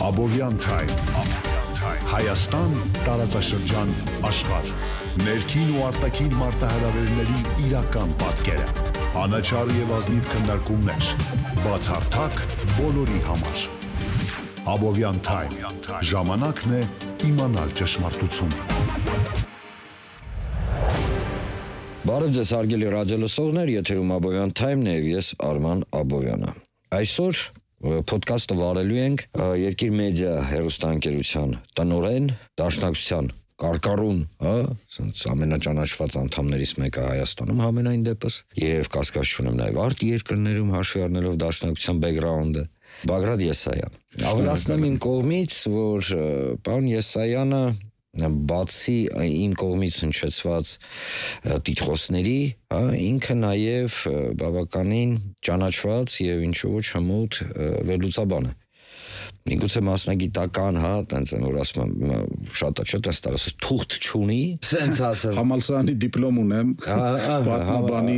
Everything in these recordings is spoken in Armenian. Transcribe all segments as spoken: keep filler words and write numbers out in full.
Abovyan Time, Հայաստան, տարածաշրջան, աշխարհ, ներքին ու արտաքին մարտահրավերների իրական պատկերը, անաչառ եւ ազնիվ քննարկումներ, բացառթակ բոլորի համար։ Abovyan Time, ժամանակն է իմանալ ճշմարտությունը։ Բարև ձեզ հարգելի ռադիոլսողներ, եթերում Abovyan Time-ն է եւ ես Արման Աբովյանը։ Այսօր Պոդքասթը վարելու ենք Երկիր մեդիա հեռուստաընկերության տնօրեն, դաշնակցության կարկառուն, հա, ասենց ամենաճանաչված անդամներից մեկը Հայաստանում համենայն դեպս, եւ կասկած չունեմ նաեւ արտ երկրներում հաշվի առնելով դաշնակցության բեքգրաունդը, Բագրատ Եսայան։ Ավելացնեմ իմ կողմից, որ պարոն Եսայանը բացի իմ կողմից հնչեցված տիտղոսների, հա, ինքը նաև բավականին ճանաչված եւ ինչու ոչ հմուտ վերլուծաբան է։ Միգուցե մասնագիտական, հա, տենց են որ ասում եմ, շատ է, չէ՞, տես տարած թուղթ չունի, սենց ասել։ Համալսարանի դիպլոմ ունեմ, պատմաբանի,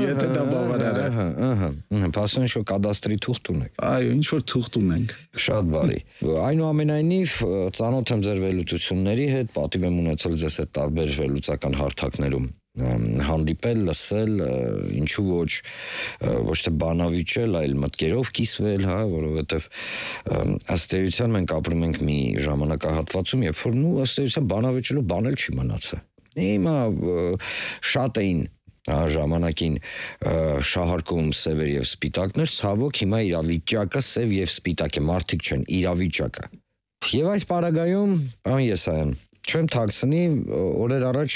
եթե դա բավարար է։ Ահա, ահա, փաստորեն շո կադաստրի թուղթ ունեք։ Այո, ինչ որ թուղթ ունենք։ Շատ բարի։ Այնուամենայնիվ ծանոթ եմ ձեր վերլուծությունների հետ, պատիվ եմ ունեցել ձեզ հետ տարբեր վերլուծական հարթակներում հանդիպել, լսել, ինչու ոչ ոչ թե բանավիճել, այլ մտքերով կիսվել, հա, որովհետև ըստ էության մենք ապրում ենք մի ժամանակահատվածում, երբ որ նու ըստ էության բանավիճելու բան էլ չի մնացել։ Հիմա շատ էին ժամանակին շահարկում սևեր եւ սպիտակներ, ցավոք հիմա իրավիճակը սև եւ սպիտակ է, մարդիկ չեն, իրավիճակը։ Եվ այս պարագայում, պարոն Եսայան, չեմ թաքցնի, օրեր առաջ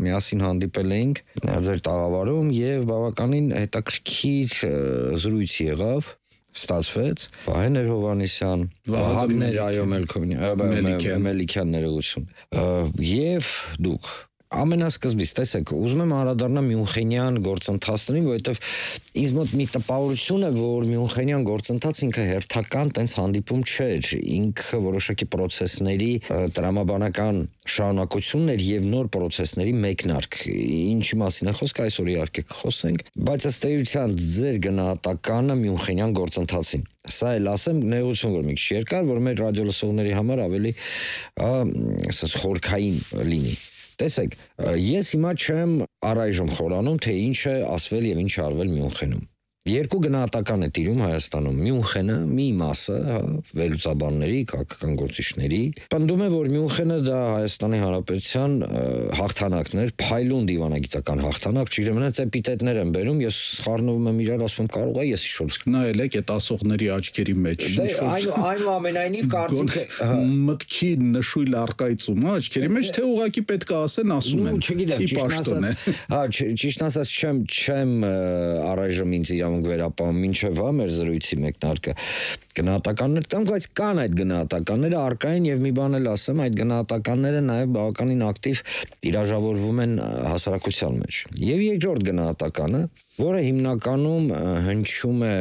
միասին հանդիպել էինք ձեր տաղավարում եւ բավականին հետաքրքիր զրույց եղավ, ստացվեց Վահե Հովհաննիսյան, Վահագներ այո Մելիքյան ներողություն։ Եվ դուք ամենասկզբից, տեսեք, ուզում եմ անդրադառնալ Մյունխենյան գործընթացներին, որովհետև ինձ մոտ մի տպավորություն է, որ Մյունխենյան գործընթաց ինքը հերթական տենց հանդիպում չէր, ինքը որոշակի պրոցեսների տրամաբանական շարունակությունն էր եւ նոր պրոցեսների մեկնարկ։ Ինչի մասին է խոսքը, այսօր իհարկե կխոսենք, բայց ըստ էության ձեր գնահատականը Մյունխենյան գործընթացին։ Սա էլ ասեմ, ներողություն որ մի քիչ երկար, որ մեր ռադիոլսողների համար ավելի, ասես, խորքային լինի։ Տեսեք, ես հիմա չեմ առայժմ խորանում, թե ինչ է ասվել եւ ինչ արվել Մյունխենում։ Երկու գնահատական է տիրում Հայաստանում։ Մյունխենը մի մասը, հա, վերլուծաբանների, քաղաքական գործիչների, պնդում է, որ Մյունխենը դա Հայաստանի Հանրապետության հաղթանակն էր, փայլուն դիվանագիտական հաղթանակ, չգիտեմ, նրանց էպիտետներ են բերում, ես սխառնվում եմ իրար, ասում եմ կարող է ես իշոց։ Նայել եք այդ ասողների աչքերի մեջ, ինչ որ այնուամենայնիվ կարծիքը մտքի նշույլ առկայծում, հա, աչքերի մեջ, թե ուղակի պետք է ասեն, ասում են։ Չգիտեմ, ճիշտ ասած, հա, ճիշտ ասած չեմ չեմ առայժմ ինձ իրավունք վերապահում մինչև հա մեր զրույցի մեկնարկը գնահատականներ տամ, բայց կան այդ գնահատականները առկային եւ մի բան էլ ասեմ, այդ գնահատականները նաեւ բավականին ակտիվ տիրաժավորվում են հասարակության մեջ։ Եվ երկրորդ գնահատականը, որը հիմնականում հնչում է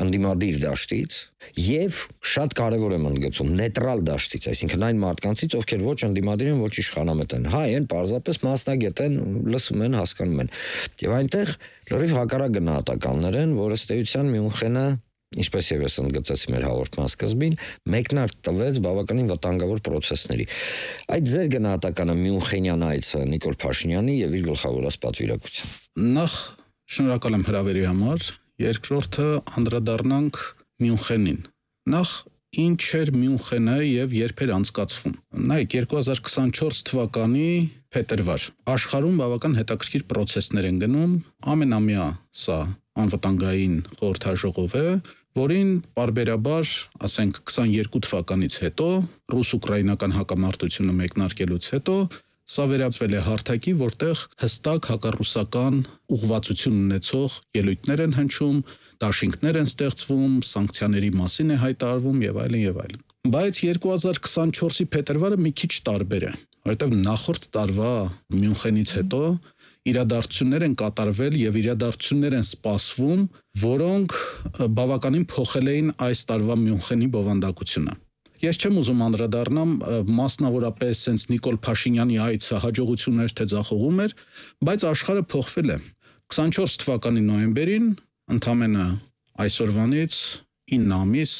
անդիմադիր դաշտից եւ շատ կարեւոր եմ ընդգծում նեյտրալ դաշտից, այսինքն այն մարդկանցից, ովքեր ոչ անդիմադիր են, ոչ իշխանամետ են, հայ են, պարզապես մասնագետ են, լսում են, հասկանում են։ Եվ այնտեղ լրիվ հակառակ գնահատականներ են, որ ըստ էության Մյունխենը, ինչպես եւ ես ընդգծեցի մեր հաղորդման սկզբին, մեկնարկ տվեց բավականին վտանգավոր պրոցեսների։ Այդ ձեր գնահատականը Մյունխենյան այցը Նիկոլ Փաշինյանի եւ իր գլխավորած պատվիրակության։ Նախ շնորհակալ եմ հրավերի համար, երկրորդը անդրադառնանք Մյունխենին։ Նախ ինչ էր Մյունխենը եւ երբ էր անցկացվում։ Նայեք երկու հազար քսանչորս թվականի փետրվար աշխարհում բավական հետաքրքիր պրոցեսներ են գնում, ամենամյա սա անվտանգային խորհրդաժողով է, որին պարբերաբար, ասենք քսաներկու թվականից հետո, ռուս-ուկրաինական հակամարտությունը մեկնարկելուց հետո, սա վերածվել է հարթակի, որտեղ հստակ հակառուսական ուղղվածություն ունեցող ելույթներ են հնչում, դաշինքներ են ստեղծվում, սանկցիաների մասին է հայտարարվում եւ այլն եւ այլն։ Բայց երկու հազար քսանչորսի փետրվարը մի քիչ տարբեր է, որովհետեւ նախորդ տարվա Մյունխենից հետո իրադարձություններ են կատարվել եւ իրադարձություններ են սպասվում, որոնք բավականին փոխել էին այս տարվա Մյունխենի բովանդակությունը։ Ես չեմ ուզում անդրադառնամ մասնավորապես հենց Նիկոլ Փաշինյանի այցը հաջողություն էր թե ձախողում էր, բայց աշխարհը փոխվել է։ քսանչորս թվականի նոյեմբերին ընդամենը այսօրվանից ինը ամիս,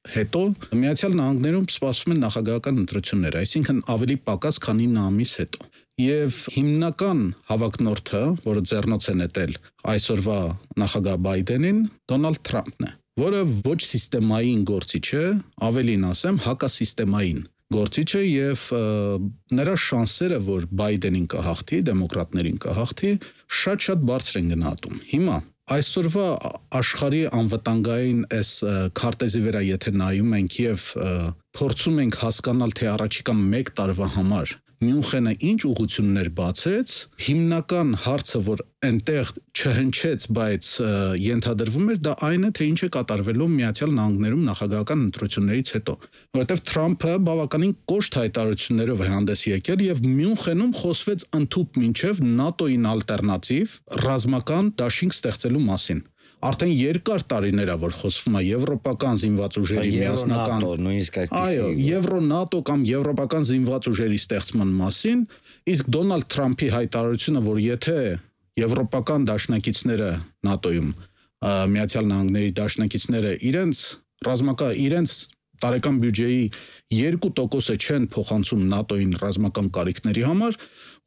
հետո Միացյալ Նահանգներում սպասվում են նախագահական ընտրություններ, այսինքն ավելի պակաս, քան ինը ամիս հետո։ Եվ հիմնական հավակնորդը, որը ձեռնոց է նետել այսօրվա նախագահ Բայդենին, Դոնալդ Թրամփն է, որը ոչ սիստեմային գործիչ է, ավելին ասեմ, հակասիստեմային գործիչ է եւ նրա շանսերը, որ Բայդենին կհաղթի, դեմոկրատներին կհաղթի, շատ-շատ բարձր են գնահատում։ Հիմա այսօրվա աշխարհի անվտանգային այս քարտեզի վրա եթե նայում ենք եւ փորձում ենք հասկանալ, թե առաջիկա մեկ տարվա համար Մյունխենը ինչ ուղղություններ բացեց, հիմնական հարցը, որ այնտեղ չհնչեց, բայց ենթադրվում էր, դա այն է, թե ինչ է կատարվելու Միացյալ Նահանգներում նախագահական ընտրություններից հետո, որովհետև Թրամփը բավականին կոշտ հայտարարություններով է հանդես եկել եւ Մյունխենում խոսվեց ընդհուպ մինչև ՆԱՏՕ-ին ալտերնատիվ ռազմական դաշինք ստեղծելու մասին։ Արդեն երկար տարիներ է, որ խոսվում է եվրոպական զինված ուժերի միասնական, այո, Եվրո-ՆԱՏՕ կամ եվրոպական զինված ուժերի ստեղծման մասին, իսկ Դոնալդ Թրամփի հայտարարությունը, որ եթե եվրոպական դաշնակիցները ՆԱՏՕ-ում, Միացյալ Նահանգների դաշնակիցները իրենց ռազմական իրենց տարեկան բյուջեի երկու տոկոսը չեն փոխանցում ՆԱՏՕ-ին ռազմական կարիքների համար,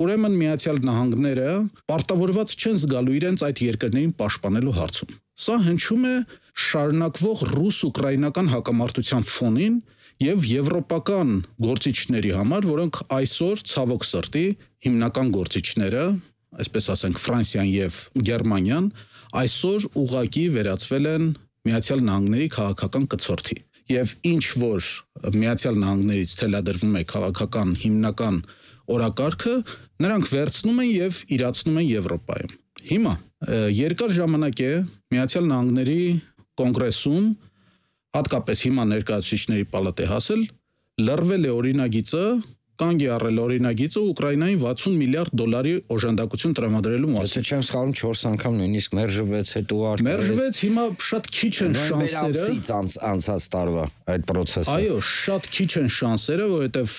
ուրեմն Միացյալ Նահանգները պարտավորված չեն զգալու իրենց այդ երկրներին պաշտպանելու հարցում։ Սա հնչում է շարունակվող ռուս-ուկրաինական հակամարտության ֆոնին եւ եվրոպական գործիչների համար, որոնք այսօր ցավոք սրտի հիմնական գործիչները, այսպես ասենք Ֆրանսիան եւ Գերմանիան, այսօր ուղղակի վերածվել են Միացյալ Նահանգների քաղաքական կցորդի։ Եվ ինչ որ Միացյալ Նահանգներից թելադրվում է քաղաքական հիմնական օրակարգը, նրանք վերցնում են եւ իրացնում են Եվրոպայում։ Հիմա երկար ժամանակ է Միացյալ Նահանգների կոնգրեսում, հատկապես հիմա ներկայացուցիչների պալատը հասել, լրվել է օրինագիծը, կանգ է առել օրինագիծը Ուկրաինային վաթսուն միլիարդ դոլարի օժանդակություն տրամադրելու մասին։ Եթե չեմ սխալվում չորս անգամ նույնիսկ մերժվեց, հետո արկեց։ Մերժվեց, հիմա շատ քիչ են շանսերը անցած տարվա այդ process-ը։ Այո, շատ քիչ են շանսերը, որովհետև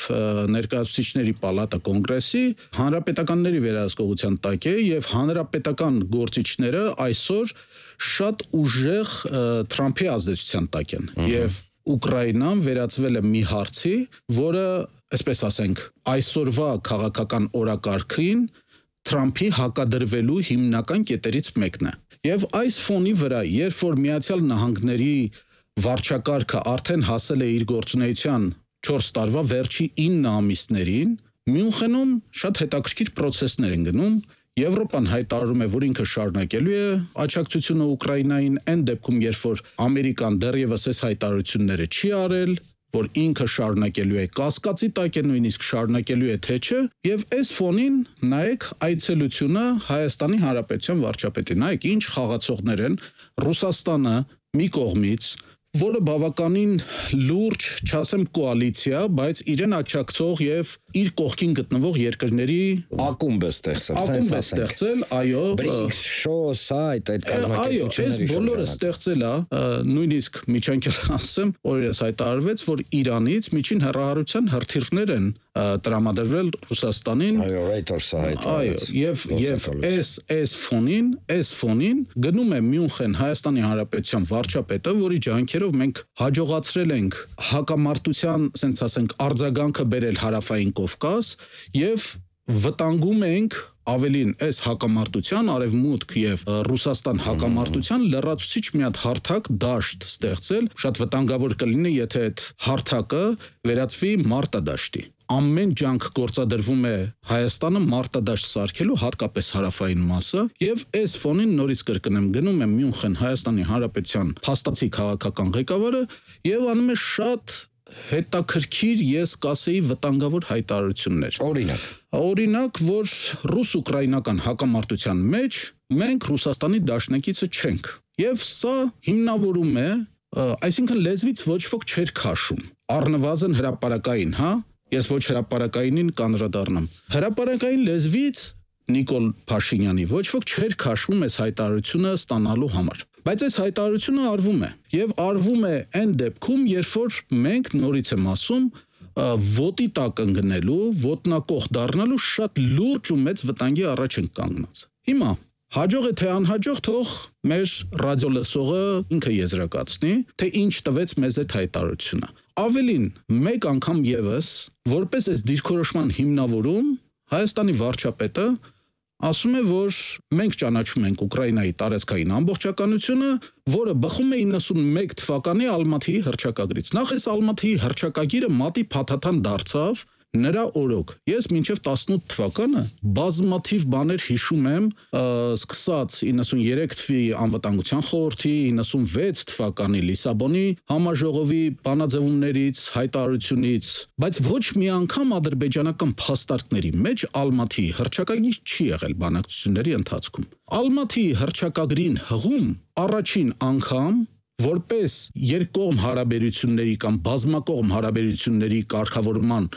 ներկայացուցիչների պալատը կոնգրեսի հանրապետականների վերահսկողության տակ է եւ հանրապետական գործիչները այսօր շատ ուժեղ Թրամփի ազդեցության տակ են։ Եվ Ուկրաինան վերածվել է մի հարցի, որը, այսպես ասենք, այսօրվա քաղաքական օրակարգին Թրամփի հակադրվելու հիմնական կետերից մեկն է։ Եվ այս ֆոնի վրա, երբ որ Միացյալ Նահանգների վարչակարգը արդեն հասել է իր գործունեության չորս տարվա վերջի ինը ամիսներին, Մյունխենում շատ հետաքրքիր process-ներ են գնում։ Եվրոպան հայտարարում է, որ ինքը շարունակելու է աջակցությունը Ուկրաինային այն դեպքում, երբ որ Ամերիկան դեռևս այս հայտարարությունները չի արել, որ ինքը շարունակելու է կասկածի տակ է նույնիսկ շարունակելու է թե չէ, եւ այս ֆոնին նայեք այցելությունը Հայաստանի Հանրապետության վարչապետի, նայեք ինչ խաղացողներ են Ռուսաստանը մի կողմից, որը բավականին լուրջ, չասեմ կոալիցիա, բայց իրեն աջակցող եւ իր կողքին գտնվող երկրների ակումբ է ստեղծել, ակումբ է ստեղծել, այո, բրիկս, շոս, այդ այդ կազմակերպությունների, այո, այս բոլորը ստեղծել է, նույնիսկ միջանկյալ ասեմ, օրերս հայտարարվեց, որ Իրանից միջին հեռահարության հրթիռներ են տրամադրվել Ռուսաստանին, այո, Reuters-ը հայտարարեց, այո, եւ եւ այս այս ֆոնին, այս ֆոնին գնում է Մյունխեն Հայաստանի Հանրապետության վարչապետը, որի ջանքերով մենք հաջողացրել ենք հակամարտության, ասենք ասենք, արձագանքը բերել հարավային Կովկաս եւ վտանգում ենք ավելին այս հակամարտության արևմուտք եւ Ռուսաստան հակամարտության լրացուցիչ մի հատ հարթակ դաշտ ստեղծել, շատ վտանգավոր կլինի, եթե այդ հարթակը վերածվի մարտադաշտի։ Ամեն ջանք գործադրվում է Հայաստանը մարտադաշտ սարքելու, հատկապես հարավային մասը, եւ այս ֆոնին նորից կրկնեմ, գնում է Մյունխեն Հայաստանի Հանրապետության փաստացի քաղաքական ղեկավարը եւ անում է շատ հետաքրքիր, ես կասեի, վտանգավոր հայտարարություններ։ Օրինակ, օրինակ, որ ռուս-ուկրաինական հակամարտության մեջ մենք Ռուսաստանի դաշնակիցը չենք։ Եվ սա հիմնավորում է, այսինքն լեզվից ոչ ոք չէր քաշում։ Առնվազն հրապարակային, հա, ես ոչ հրապարակայինին կանդրադառնամ։ Հրապարակային լեզվից Նիկոլ Փաշինյանի ոչ ոք չէր քաշում այս հայտարարությունը ստանալու համար։ Բայց այս հայտարարությունը արվում է եւ արվում է այն դեպքում, երբ որ մենք նորից եմ ասում, ոտի տակ ընկնելու, ոտնակող դառնալու շատ լուրջ ու մեծ վտանգի առաջ ենք կանգնած։ Հիմա Հաջող է թե անհաջող, թող մեր ռադիոլսողը ինքը եզրակացնի, թե ինչ տվեց մեզ այդ հայտարարությունը։ Ավելին, մեկ անգամ եւս, որպես այս դիրքորոշման հիմնավորում, Հայաստանի վարչապետը ասում է, որ մենք ճանաչում ենք Ուկրաինայի տարածքային ամբողջականությունը, որը բխում է իննսունմեկ թվականի Ալմաթիի հռչակագրից։ Նախ այս Ալմաթիի հռչակագիրը մատի փաթաթան դարձավ նրա օրոք։ Ես մինչև տասնութ թվականը բազմաթիվ բաներ հիշում եմ, սկսած իննսուներեք թվականի անվտանգության խորհրդի, իննսունվեց թվականի Լիսաբոնի համաժողովի բանաձևումներից, հայտարարությունից, բայց ոչ մի անգամ ադրբեջանական փաստարկների մեջ Ալմաթիի հռչակագիր չի եղել բանակցությունների ընթացքում։ Ալմաթիի հռչակագրին հղում առաջին անգամ որպես երկկողմ հարաբերությունների կամ բազմակողմ հարաբերությունների կարգավորման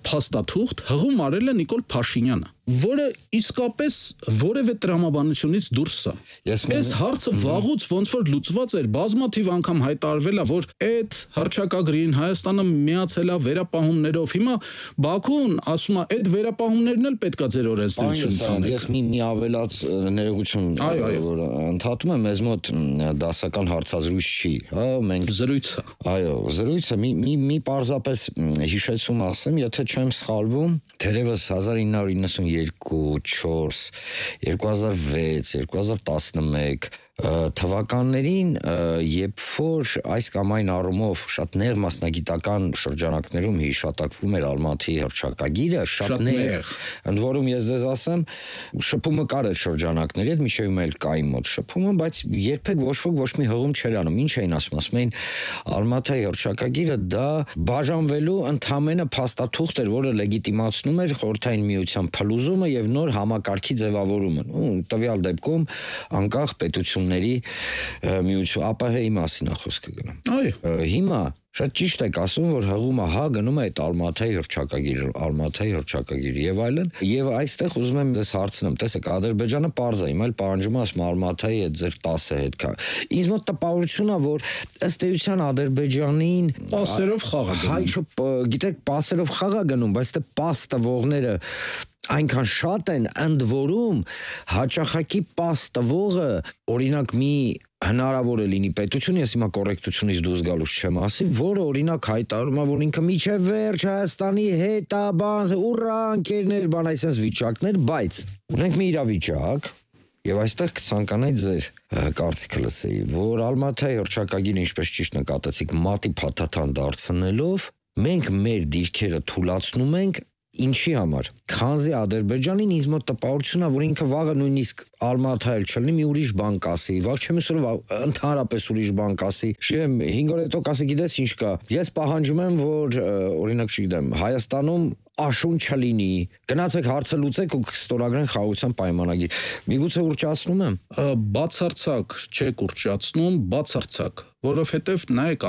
փաստաթուղթ հղում արել է Նիկոլ Փաշինյանը, որը իսկապես որևէ տրամաբանությունից դուրս է։ Այս հարցը վաղուց ոնց որ լուծված էր, բազմաթիվ անգամ հայտարարվել է, որ այդ հռչակագրին Հայաստանը միացել է վերապահումներով։ Հիմա Բաքուն ասում է, այդ վերապահումներն էլ պետքա ձեր օրենսդրությունից անեք։ Ես մի մի ավելած ներողություն, որ ընդհատում եմ, մեզ մոտ դասական հարցազրույց չի, հա, մենք զրույցը։ Այո, զրույցը մի մի մի պարզապես հիշեցում ասեմ, եթե չեմ սխալվում, թերևս հազար ինը հարյուր իննսունյոթ, չորս, երկու հազար վեց, երկու հազար տասնմեկ թվականներին, երբ որ այս կամ այն առումով շատ նեղ մասնագիտական շրջանակներում հիշատակվում էր Ալմաթիի հռչակագիրը, շատ նեղ, ընդ որում ես ձեզ ասեմ, շփումը կար այդ շրջանակների հետ, միշեւ էլ կային մոտ շփումը, բայց երբեք ոչ ոք ոչ մի հղում չէր անում։ Ինչ էին ասում, ասում էին Ալմաթիի հռչակագիրը դա բաժանվելու ընդհանրապես փաստաթուղթ էր, որը լեգիտիմացնում էր խորհրդային միության փլուզումը եւ նոր համակարգի ձևավորումը։ Ու տվյալ դեպքում անկախ պետություն միություն ԱՊՀ-ի մասին է խոսքը գնում։ Այո։ Հիմա շատ ճիշտ եք ասում, որ հղումը հա գնում է այդ Ալմաթիի հռչակագիրը, Ալմաթիի հռչակագիրը եւ այլն, եւ այստեղ ուզում եմ ձեզ հարցնեմ, տեսեք, Ադրբեջանը պարզ է, հիմա էլ պահանջում է ասում Ալմաթիի այդ ձեր տասը հետ կա։ Ինձ մոտ տպավորություն է, որ ըստ էության Ադրբեջանին պասերով խաղ է գնում։ Հայ, գիտեք, պասերով խաղ է գնում, բայց դե պաս տվողները այնքան շատ են, ընդ որում հաճախակի պաս տվողը, օրինակ մի հնարավոր է լինի պետություն, ես հիմա կոռեկտությունից դուրս գալուց չեմ ասի, որը օրինակ հայտարարում է, որ ինքը միջև վերջ Հայաստանի հետ է, բան, ուռա, ընկերներ, բան, այսպես վիճակներ, բայց ունենք մի իրավիճակ, եւ այստեղ կցանկանայի ձեր կարծիքը լսեի, որ Ալմաթիի հռչակագիրը, ինչպես ճիշտ նկատեցիք, մատի փաթաթան դարձնելով, մենք մեր դիրքերը թուլացնում ենք ինչի համար, քանզի Ադրբեջանին ինձ մոտ տպավորություն է, որ ինքը վաղը նույնիսկ Ալմաթիայել չլինի, մի ուրիշ բան կասի, վաղ չեմ ասում ընդհանրապես ուրիշ բան կասի, շեմ հինգ օր հետո կասի, գիտես ինչ կա, ես պահանջում եմ, որ օրինակ չգիտեմ, Հայաստանում աշուն չլինի, գնացեք հարցը լուծեք ու կստորագրեն խաղաղության պայմանագիր։ Միգուցե ուռճացնում եմ։ Բացարձակ չեք ուռճացնում, բացարձակ, որովհետև նայեք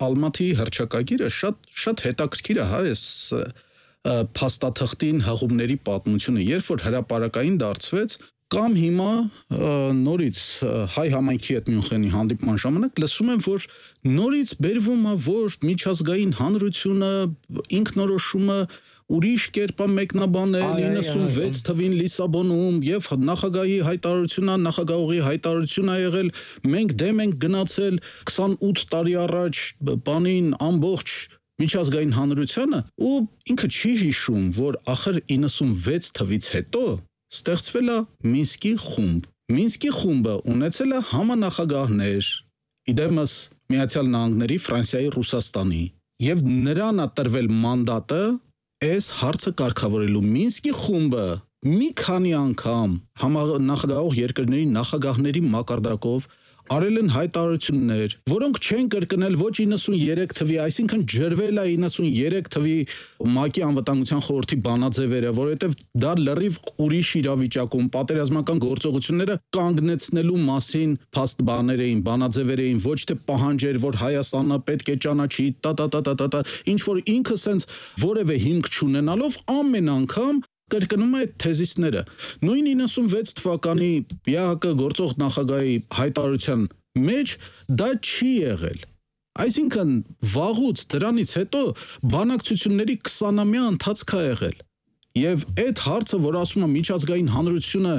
Ալմաթիի հռչակագիրը շատ շատ հետաքրքիր է, հա, այս փաստաթղթին հղումների պատմությունը, երբ որ հրապարակային դարձվեց, կամ հիմա նորից հայ համայնքի հետ Մյունխենի հանդիպման ժամանակ լսում եմ, որ նորից բերվում է, որ միջազգային հանրությունը ինքնորոշումը ուրիշ կերպ է մեկնաբանել իննսունվեց թվին Լիսաբոնում եւ նախագահի հայտարարությունն, նախագահողի հայտարարությունն ա եղել, մենք դեմ ենք գնացել քսանութ տարի առաջ բանին ամբողջ միջազգային հանրությանը, ու ինքը չի հիշում, որ ախր իննսունվեց թվից հետո ստեղծվել է Մինսկի խումբ։ Մինսկի խումբը ունեցել է համանախագահներ, իդեմս Միացյալ Նահանգների, Ֆրանսիայի, Ռուսաստանի, եւ նրան է տրվել մանդատը այս հարցը կարգավորելու։ Մինսկի խումբը մի քանի անգամ համանախագահող երկրների նախագահների մակարդակով արել են հայտարարություններ, որոնք չեն կրկնել ոչ իննսուներեք թվի, այսինքն ջրվել է իննսուներեք թվի ՄԱԿ-ի անվտանգության խորհրդի բանաձևերը, որովհետև դա լրիվ ուրիշ իրավիճակում պատերազմական գործողությունները կանգնեցնելու մասին փաստ բաներ էին, բանաձևեր էին, ոչ թե պահանջեր, որ Հայաստանը պետք է ճանաչի, տա-տա-տա-տա-տա, ինչ որ ինքը սենց որևէ հիմք չունենալով ամեն անգամ կրկնում է այդ թեզիսները։ Նույն իննսունվեց թվականի ԵԱՀԿ գործող նախագահի հայտարարության մեջ դա չի եղել։ Այսինքն վաղուց դրանից հետո բանակցությունների քսանամյա ընթացք է եղել։ Եվ այդ հարցը, որ ասում է միջազգային հանրությունը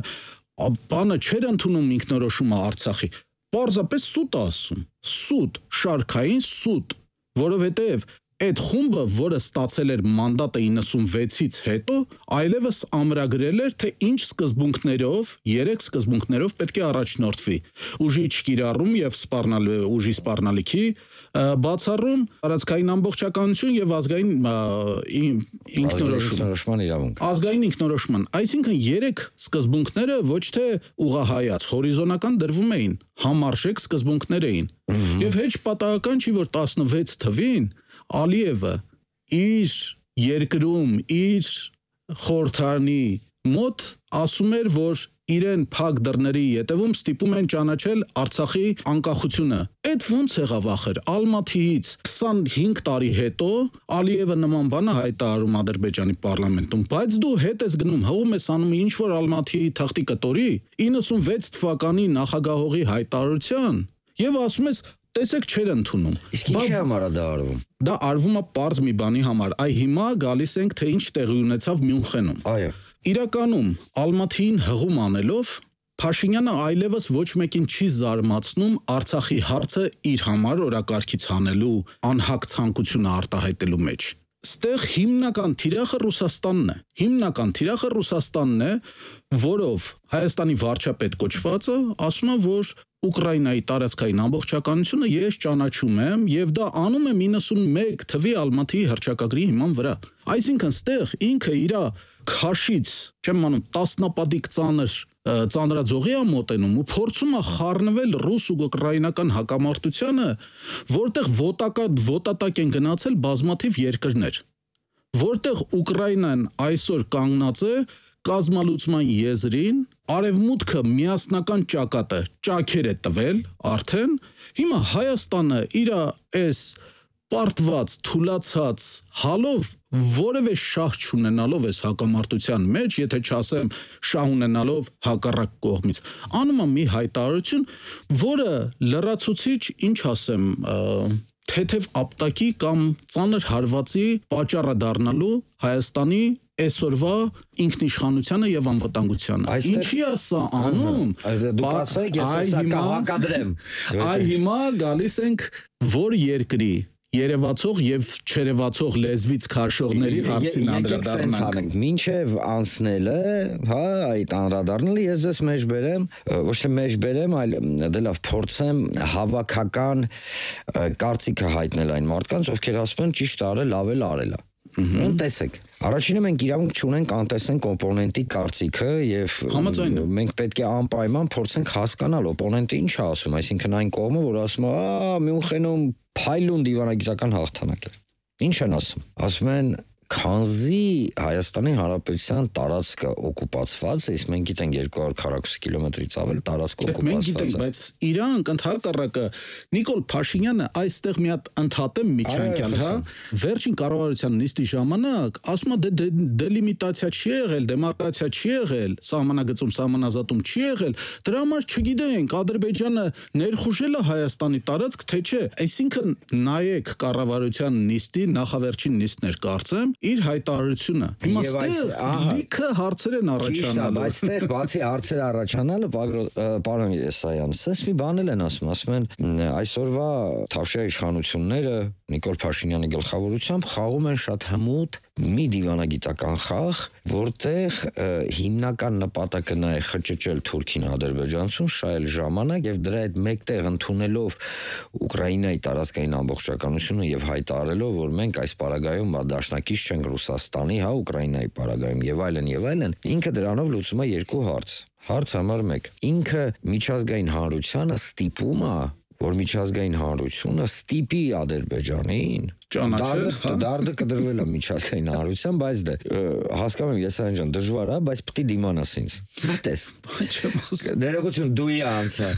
բանը չէր ընդունում ինքնորոշումը Արցախի, պարզապես սուտ ասում, սուտ, շարքային սուտ, որովհետև այդ խումբը, որը ստացել էր մանդատը իննսունվեցից հետո, այլևս ամրագրել էր, թե ինչ սկզբունքներով, երեք սկզբունքներով պետք է առաջնորդվի. ուժի չկիրառում եւ սպառնալ ուժի սպառնալիքի բացառում, տարածքային ամբողջականություն եւ ազգային ինքնորոշում։ իրավունք։ Ազգային ինքնորոշման, այսինքն երեք սկզբունքները ոչ թե ուղղահայաց, հորիզոնական դրվում էին, համարժեք սկզբունքներ էին։ Եվ հեչ պատահական չի, որ տասնվեց թվին Ալիևը իր երկրում, իր խորհրդարանի մոտ ասում էր, որ իրեն փակ դռների ետևում ստիպում են ճանաչել Արցախի անկախությունը։ Այդ ոնց եղավ ախր, Ալմաթիից քսանհինգ տարի հետո Ալիևը նման բան է հայտարարում Ադրբեջանի պարլամենտում, բայց դու հետ ես գնում, հողում ես անում ինչ որ Ալմաթիի թղթի կտորի իննսունվեց թվականի նախագահողի հայտարարության եւ ասում ես տեսեք չեր ընդունում։ Իսկ ինչի համար է դա արվում։ Դա արվում է պարզ մի բանի համար։ Այ հիմա գալիս ենք, թե ինչ տեղի ունեցավ Մյունխենում։ Այո։ Իրականում Ալմաթիին հղում անելով Փաշինյանը այլևս ոչ մեկին չի զարմացնում Արցախի հարցը իր համար օրակարգից հանելու անհակ ցանկությունը արտահայտելու մեջ։ Ստեղ հիմնական թիրախը Ռուսաստանն է։ Հիմնական թիրախը Ռուսաստանն է, որով Հայաստանի վարչապետ կոչվածը ասում է, որ Ուկրաինայի տարածքային ամբողջականությունը ես ճանաչում եմ եւ դա անում եմ իննսունմեկ թվի Ալմաթիի հռչակագրի հիման վրա։ Այսինքն ստեղ ինքը իր քաշից, չեմ անում, տասնապատիկ ծանր ծանրաձողի է մոտենում ու փորձում է խառնվել ռուս ու ուկրաինական հակամարտությանը, որտեղ ոտակա ոտատակ են գնացել բազմաթիվ երկրներ, որտեղ Ուկրաինան այսօր կանգնած է կազմալուծման եզրին, արևմուտքը միասնական ճակատը ճաքեր է տվել արդեն, հիմա Հայաստանը իր այս պարտված, թուլացած հալով որևէ շահ չունենալով այս հակամարտության մեջ, եթե չասեմ շահ ունենալով հակառակ կողմից, անում է մի հայտարարություն, որը լրացուցիչ, ինչ ասեմ, թեթև ապտակի կամ ծանր հարվածի պատճառը դառնալու Հայաստանի այսօրվա ինքնիշխանությանը եւ անվտանգությանը։ Ինչի է սա անում։ Դուք ասեք, ես հեսա կհակադրեմ։ Այ հիմա գալիս ենք որ երկրի երևացող եւ չերևացող լեզվից քաշողների հարցին անդրադառնանք։ Մինչև անցնելը, հա, այդ անդրադառնալը ես ես մեջ բերեմ, ոչ թե մեջ բերեմ, այլ դե լավ փորձեմ հավաքական կարծիքը հայտնել այն մարդկանց, ովքեր ասում են ճիշտ արել, լավ էլ արել է։ Տեսեք, առաջինը մենք իրավունք չունենք անտեսեն կոմպոնենտի կարծիքը եւ մենք պետք է անպայման փորձենք հասկանալ օպոնենտը ինչ է ասում, այսինքն այն կողմը, որ ասում է, «Ա, Մյունխենում փայլուն դիվանագիտական հաղթանակ է»։ Ինչ են ասում։ Ասում են քանզի Հայաստանի Հանրապետության տարածքը օկուպացված է, իսկ մենք գիտենք երկու հարյուր քառակուսի կիլոմետրից ավել տարածք օկուպացված է։ Մենք գիտենք, բայց իրանք ընդհակառակը Նիկոլ Փաշինյանը այստեղ մի հատ ընդհատեմ միջանկյալ, հա, վերջին կառավարության նիստի ժամանակ ասում է դե դելիմիտացիա չի եղել, դեմարկացիա չի եղել, սահմանագծում սահմանազատում չի եղել, դրա համար չգիտենք Ադրբեջանը ներխուժել է Հայաստանի տարածք, թե չէ։ Այսինքն նայեք կառավարության նիստի նախավերջին նիստներ կարծեմ իր հայտարարությունը։ Հիմա ստեղ լիքը հարցեր են առաջանալու։ Բայց ստեղ բացի հարցեր առաջանալը, պարոն Եսայան, սենց մի բան են ասում, ասում են այսօրվա Թավշյա իշխանությունները Նիկոլ Փաշինյանի գլխավորությամբ խաղում են շատ հմուտ մի դիվանագիտական խաղ, որտեղ հիմնական նպատակը նա է խճճել Թուրքին Ադրբեջանցուն շահել ժամանակ եւ դրա հետ մեկտեղ ընդունելով Ուկրաինայի տարածքային ամբողջականությունը եւ հայտարարելով, որ մենք այս պարագայում դաշնակից չենք Ռուսաստանի, հա, Ուկրաինայի պարագայում եւ այլն եւ այլն, ինքը դրանով լուծում է երկու հարց։ Հարց համար մեկ. ինքը միջազգային հանրությանը ստիպում է, որ միջազգային հանրությունը ստիպի Ադրբեջանին ճանաչել, դարդը կդրվել է միջազգային հանրության, բայց դե հասկանում եմ Եսայան ջան, դժվար է, բայց պետք է դիմանաս ինձ։ Մտես։ Ներողություն, դու անցա։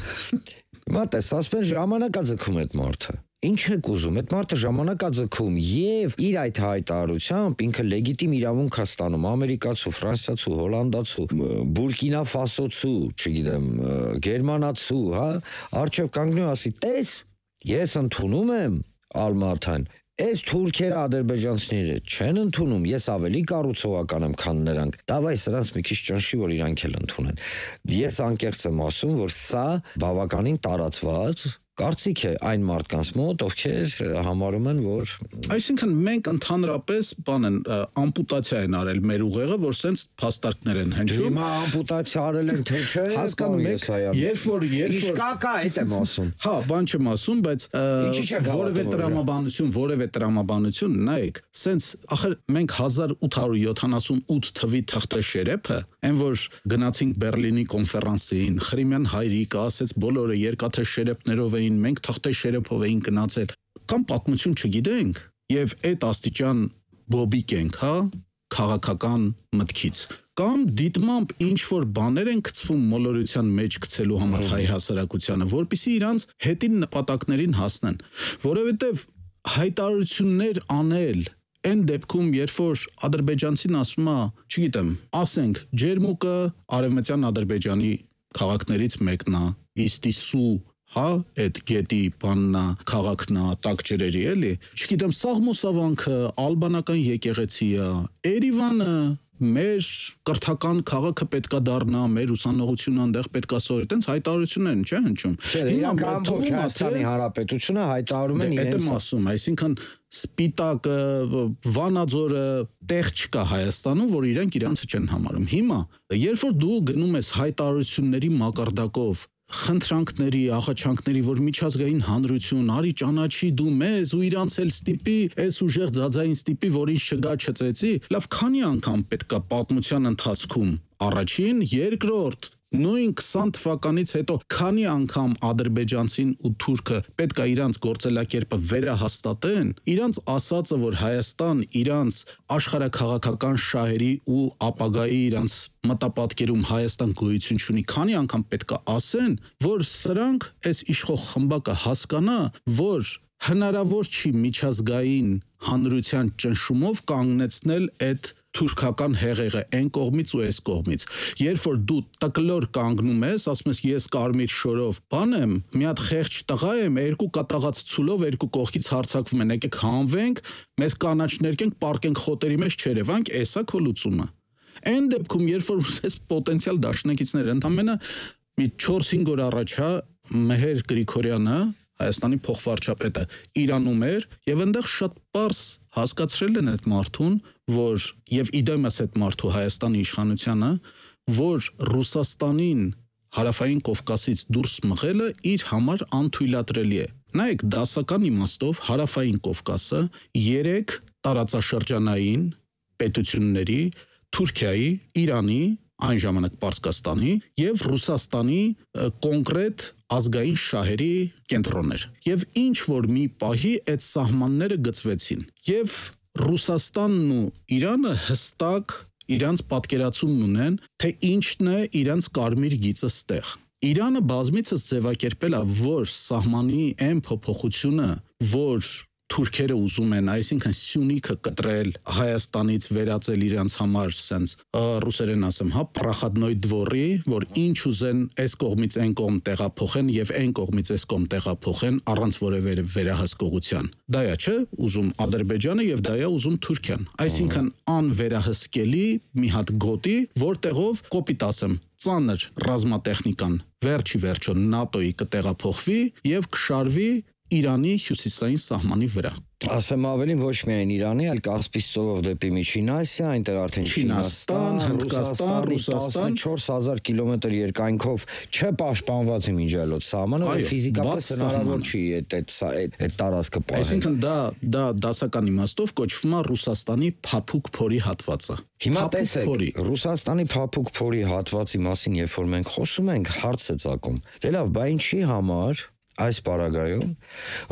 Մտես, ասես ժամանակա ձգում այդ մարդը։ Ինչ եք ուզում, այդ մարդը ժամանակ է ձգում եւ իր այդ հայտարարությամբ ինքը լեգիտիմ իրավունք է ստանում ամերիկացու, ֆրանսիացու, հոլանդացու, բուրկինա ֆասոցու, չգիտեմ, գերմանացու, հա, արչեւ կանգնում ասի, տես, ես ընդունում եմ Ալմաթան Այս թուրքերը ադրբեջանցիները չեն ընդունում, ես ավելի կառուցողական եմ, քան նրանք։ Դավայ սրանց մի քիչ ճնշի, որ իրանք էլ ընդունեն։ Ես անկեղծ եմ ասում, որ սա բավականին տարածված կարծիք է այն մարդկանց մոտ, ովքեր համարում են, որ Այսինքն մենք ընդհանրապես բան են ամպուտացիա են արել մեր ուղեղը, որ սենց փաստարկներ են հնչում։ Հիմա ամպուտացիա արել են թե չէ, հասկանում եք, երբ որ երբ որ Իշկակա այդ եմ ասում։ Հա, բան չեմ ասում, բայց որևէ տրամաբանություն, որևէ տրամաբանություն, նայեք, սենց ախր մենք հազար ութ հարյուր յոթանասունութ թվի թղթաշերեփը, այն որ գնացինք Բերլինի կոնֆերանսին, Խրիմյան հայրիկը ասեց բոլորը երկաթե շերեփներով էին, մենք թղթաշերեփով էին գնացել, կամ պատմություն չգիտենք, եւ այդ աստիճան բոբիկ ենք, հա, քաղաքական մտքից, կամ դիտմամբ ինչ որ բաներ են գցվում մոլորության մեջ գցելու համար հայ հասարակությանը, որպեսզի իրանց հետին նպատակներին հասնեն, որովհետեւ հայտարարություններ անել այն դեպքում, երբ որ ադրբեջանցին ասում է, չգիտեմ, ասենք, Ջերմուկը արևմտյան Ադրբեջանի քաղաքներից մեկն է, Իստիսու, հա, այդ գետի բաննա, քաղաքնա, տակ ջրերի, էլի, չգիտեմ, Սաղմոսավանքը, ալբանական եկեղեցիը, Երևանը, մեր կրթական քաղաքը պետքա դառնա, մեր ուսանողությունը այնտեղ պետքա սովորի, այտենց հայտարարություններ չէ հնչում։ Հիմա Հայաստանի Հանրապետությունը հայտարարում են իրենց։ Դա եմ ասում, այսինքն սպիտակը, Վանաձորը տեղ չկա Հայաստանում, որ իրենք իրանցը չեն համարում։ Հիմա, երբ որ դու գնում ես հայտարարությունների մակարդակով խնդրանքների, աղաչանքների, որ միջազգային հանրություն, արի ճանաչի դու մեզ ու իրանց էլ ստիպի, այս ուժեղ ձածային ստիպի, որ ինչ չգա չծեցի, լավ քանի անգամ պետքա պատմության ընթացքում առաջին, երկրորդ, նույն քսան թվականից հետո քանի անգամ ադրբեջանցին ու թուրքը պետքա իրանց գործելակերպը վերահաստատեն, իրանց ասածը, որ Հայաստան իրանց աշխարհաքաղաքական շահերի ու ապագայի իրանց մտապատկերում Հայաստան գոյություն ունի, քանի անգամ պետքա ասեն, որ սրանք այս իշխող խմբակը հասկանա, որ հնարավոր չի միջազգային հանրության ճնշումով կանգնեցնել այդ թուրքական հեղեղը այն կողմից ու այս կողմից։ Երբ որ դու տկլոր կանգնում ես, ասում ես ես կարմիր շորով բան եմ, մի հատ խեղճ տղա եմ, երկու կատաղած ցուլով երկու կողքից հարձակվում են, եկեք հանվենք, մեզ կանաչներ կենք, պարկենք խոտերի մեջ չերևանք, էսա քո լուծումը։ Այն դեպքում, երբ որ ես պոտենցիալ դաշնակիցներ ընդամենը մի չորս-հինգ օր առաջ հա Մեհեր Գրիգորյանը Հայաստանի փոխվարչապետը Իրանում էր եւ այնտեղ շատ པարս հասկացրել են այդ մարդուն, որ եւ իդեմս այդ մարդու Հայաստանի իշխանությանը, որ Ռուսաստանին հարավային Կովկասից դուրս մղելը իր համար անթույլատրելի է։ Նայեք, դասական իմաստով հարավային Կովկասը երեք տարածաշրջանային պետությունների Թուրքիայի, Իրանի, այն ժամանակ Պարսկաստանի եւ Ռուսաստանի կոնկրետ ազգային շահերի կենտրոններ։ Եվ ինչ որ մի պահի այդ սահմանները գծվեցին։ Եվ Ռուսաստանն ու Իրանը հստակ իրանց պատկերացումն ունեն, թե ինչն է իրանց կարմիր գիծը ստեղ։ Իրանը բազմիցս ձևակերպել է, որ սահմանի այն փոփոխությունը, որ թուրքերը ուզում են, այսինքն Սյունիքը կտրել Հայաստանից վերածել իրանց համար սենց ռուսերեն ասեմ, հա, պրախադնոյ դվորի, որ ինչ ուզեն այս կողմից այն կողմ տեղափոխեն եւ այն կողմից այս կողմ տեղափոխեն առանց որևէ վերահսկողության։ Դա է, չէ, ուզում Ադրբեջանը եւ դա է ուզում Թուրքիան։ Այսինքն անվերահսկելի մի հատ գոտի, որտեղով կոպիտ ասեմ, ծանր ռազմատեխնիկան վերջի վերջո ՆԱՏՕ-ի կտեղափոխվի եւ կշարվի Իրանի հյուսիսային սահմանի վրա։ Ասեմ ավելին ոչ միայն Իրանի, այլ Կասպից ծովով դեպի Միջին Ասիա, այնտեղ արդեն Չինաստան, Հնդկաստան, Ռուսաստան տասնչորս հազար կիլոմետր երկայնքով չպաշտպանված իմիջիալոց սահմանը, որ ֆիզիկապես հնարավոր չի այդ այդ այդ տարածքը պահել։ Այսինքն դա դա դասական իմաստով կոչվում է Ռուսաստանի փափուկ փորի հատվածը։ Հիմա տեսեք, Ռուսաստանի փափուկ փորի հատվածի մասին, երբ որ մենք խոսում ենք, հարց է ծագում։ Դե լավ, բա ինչի համար այս պարագայում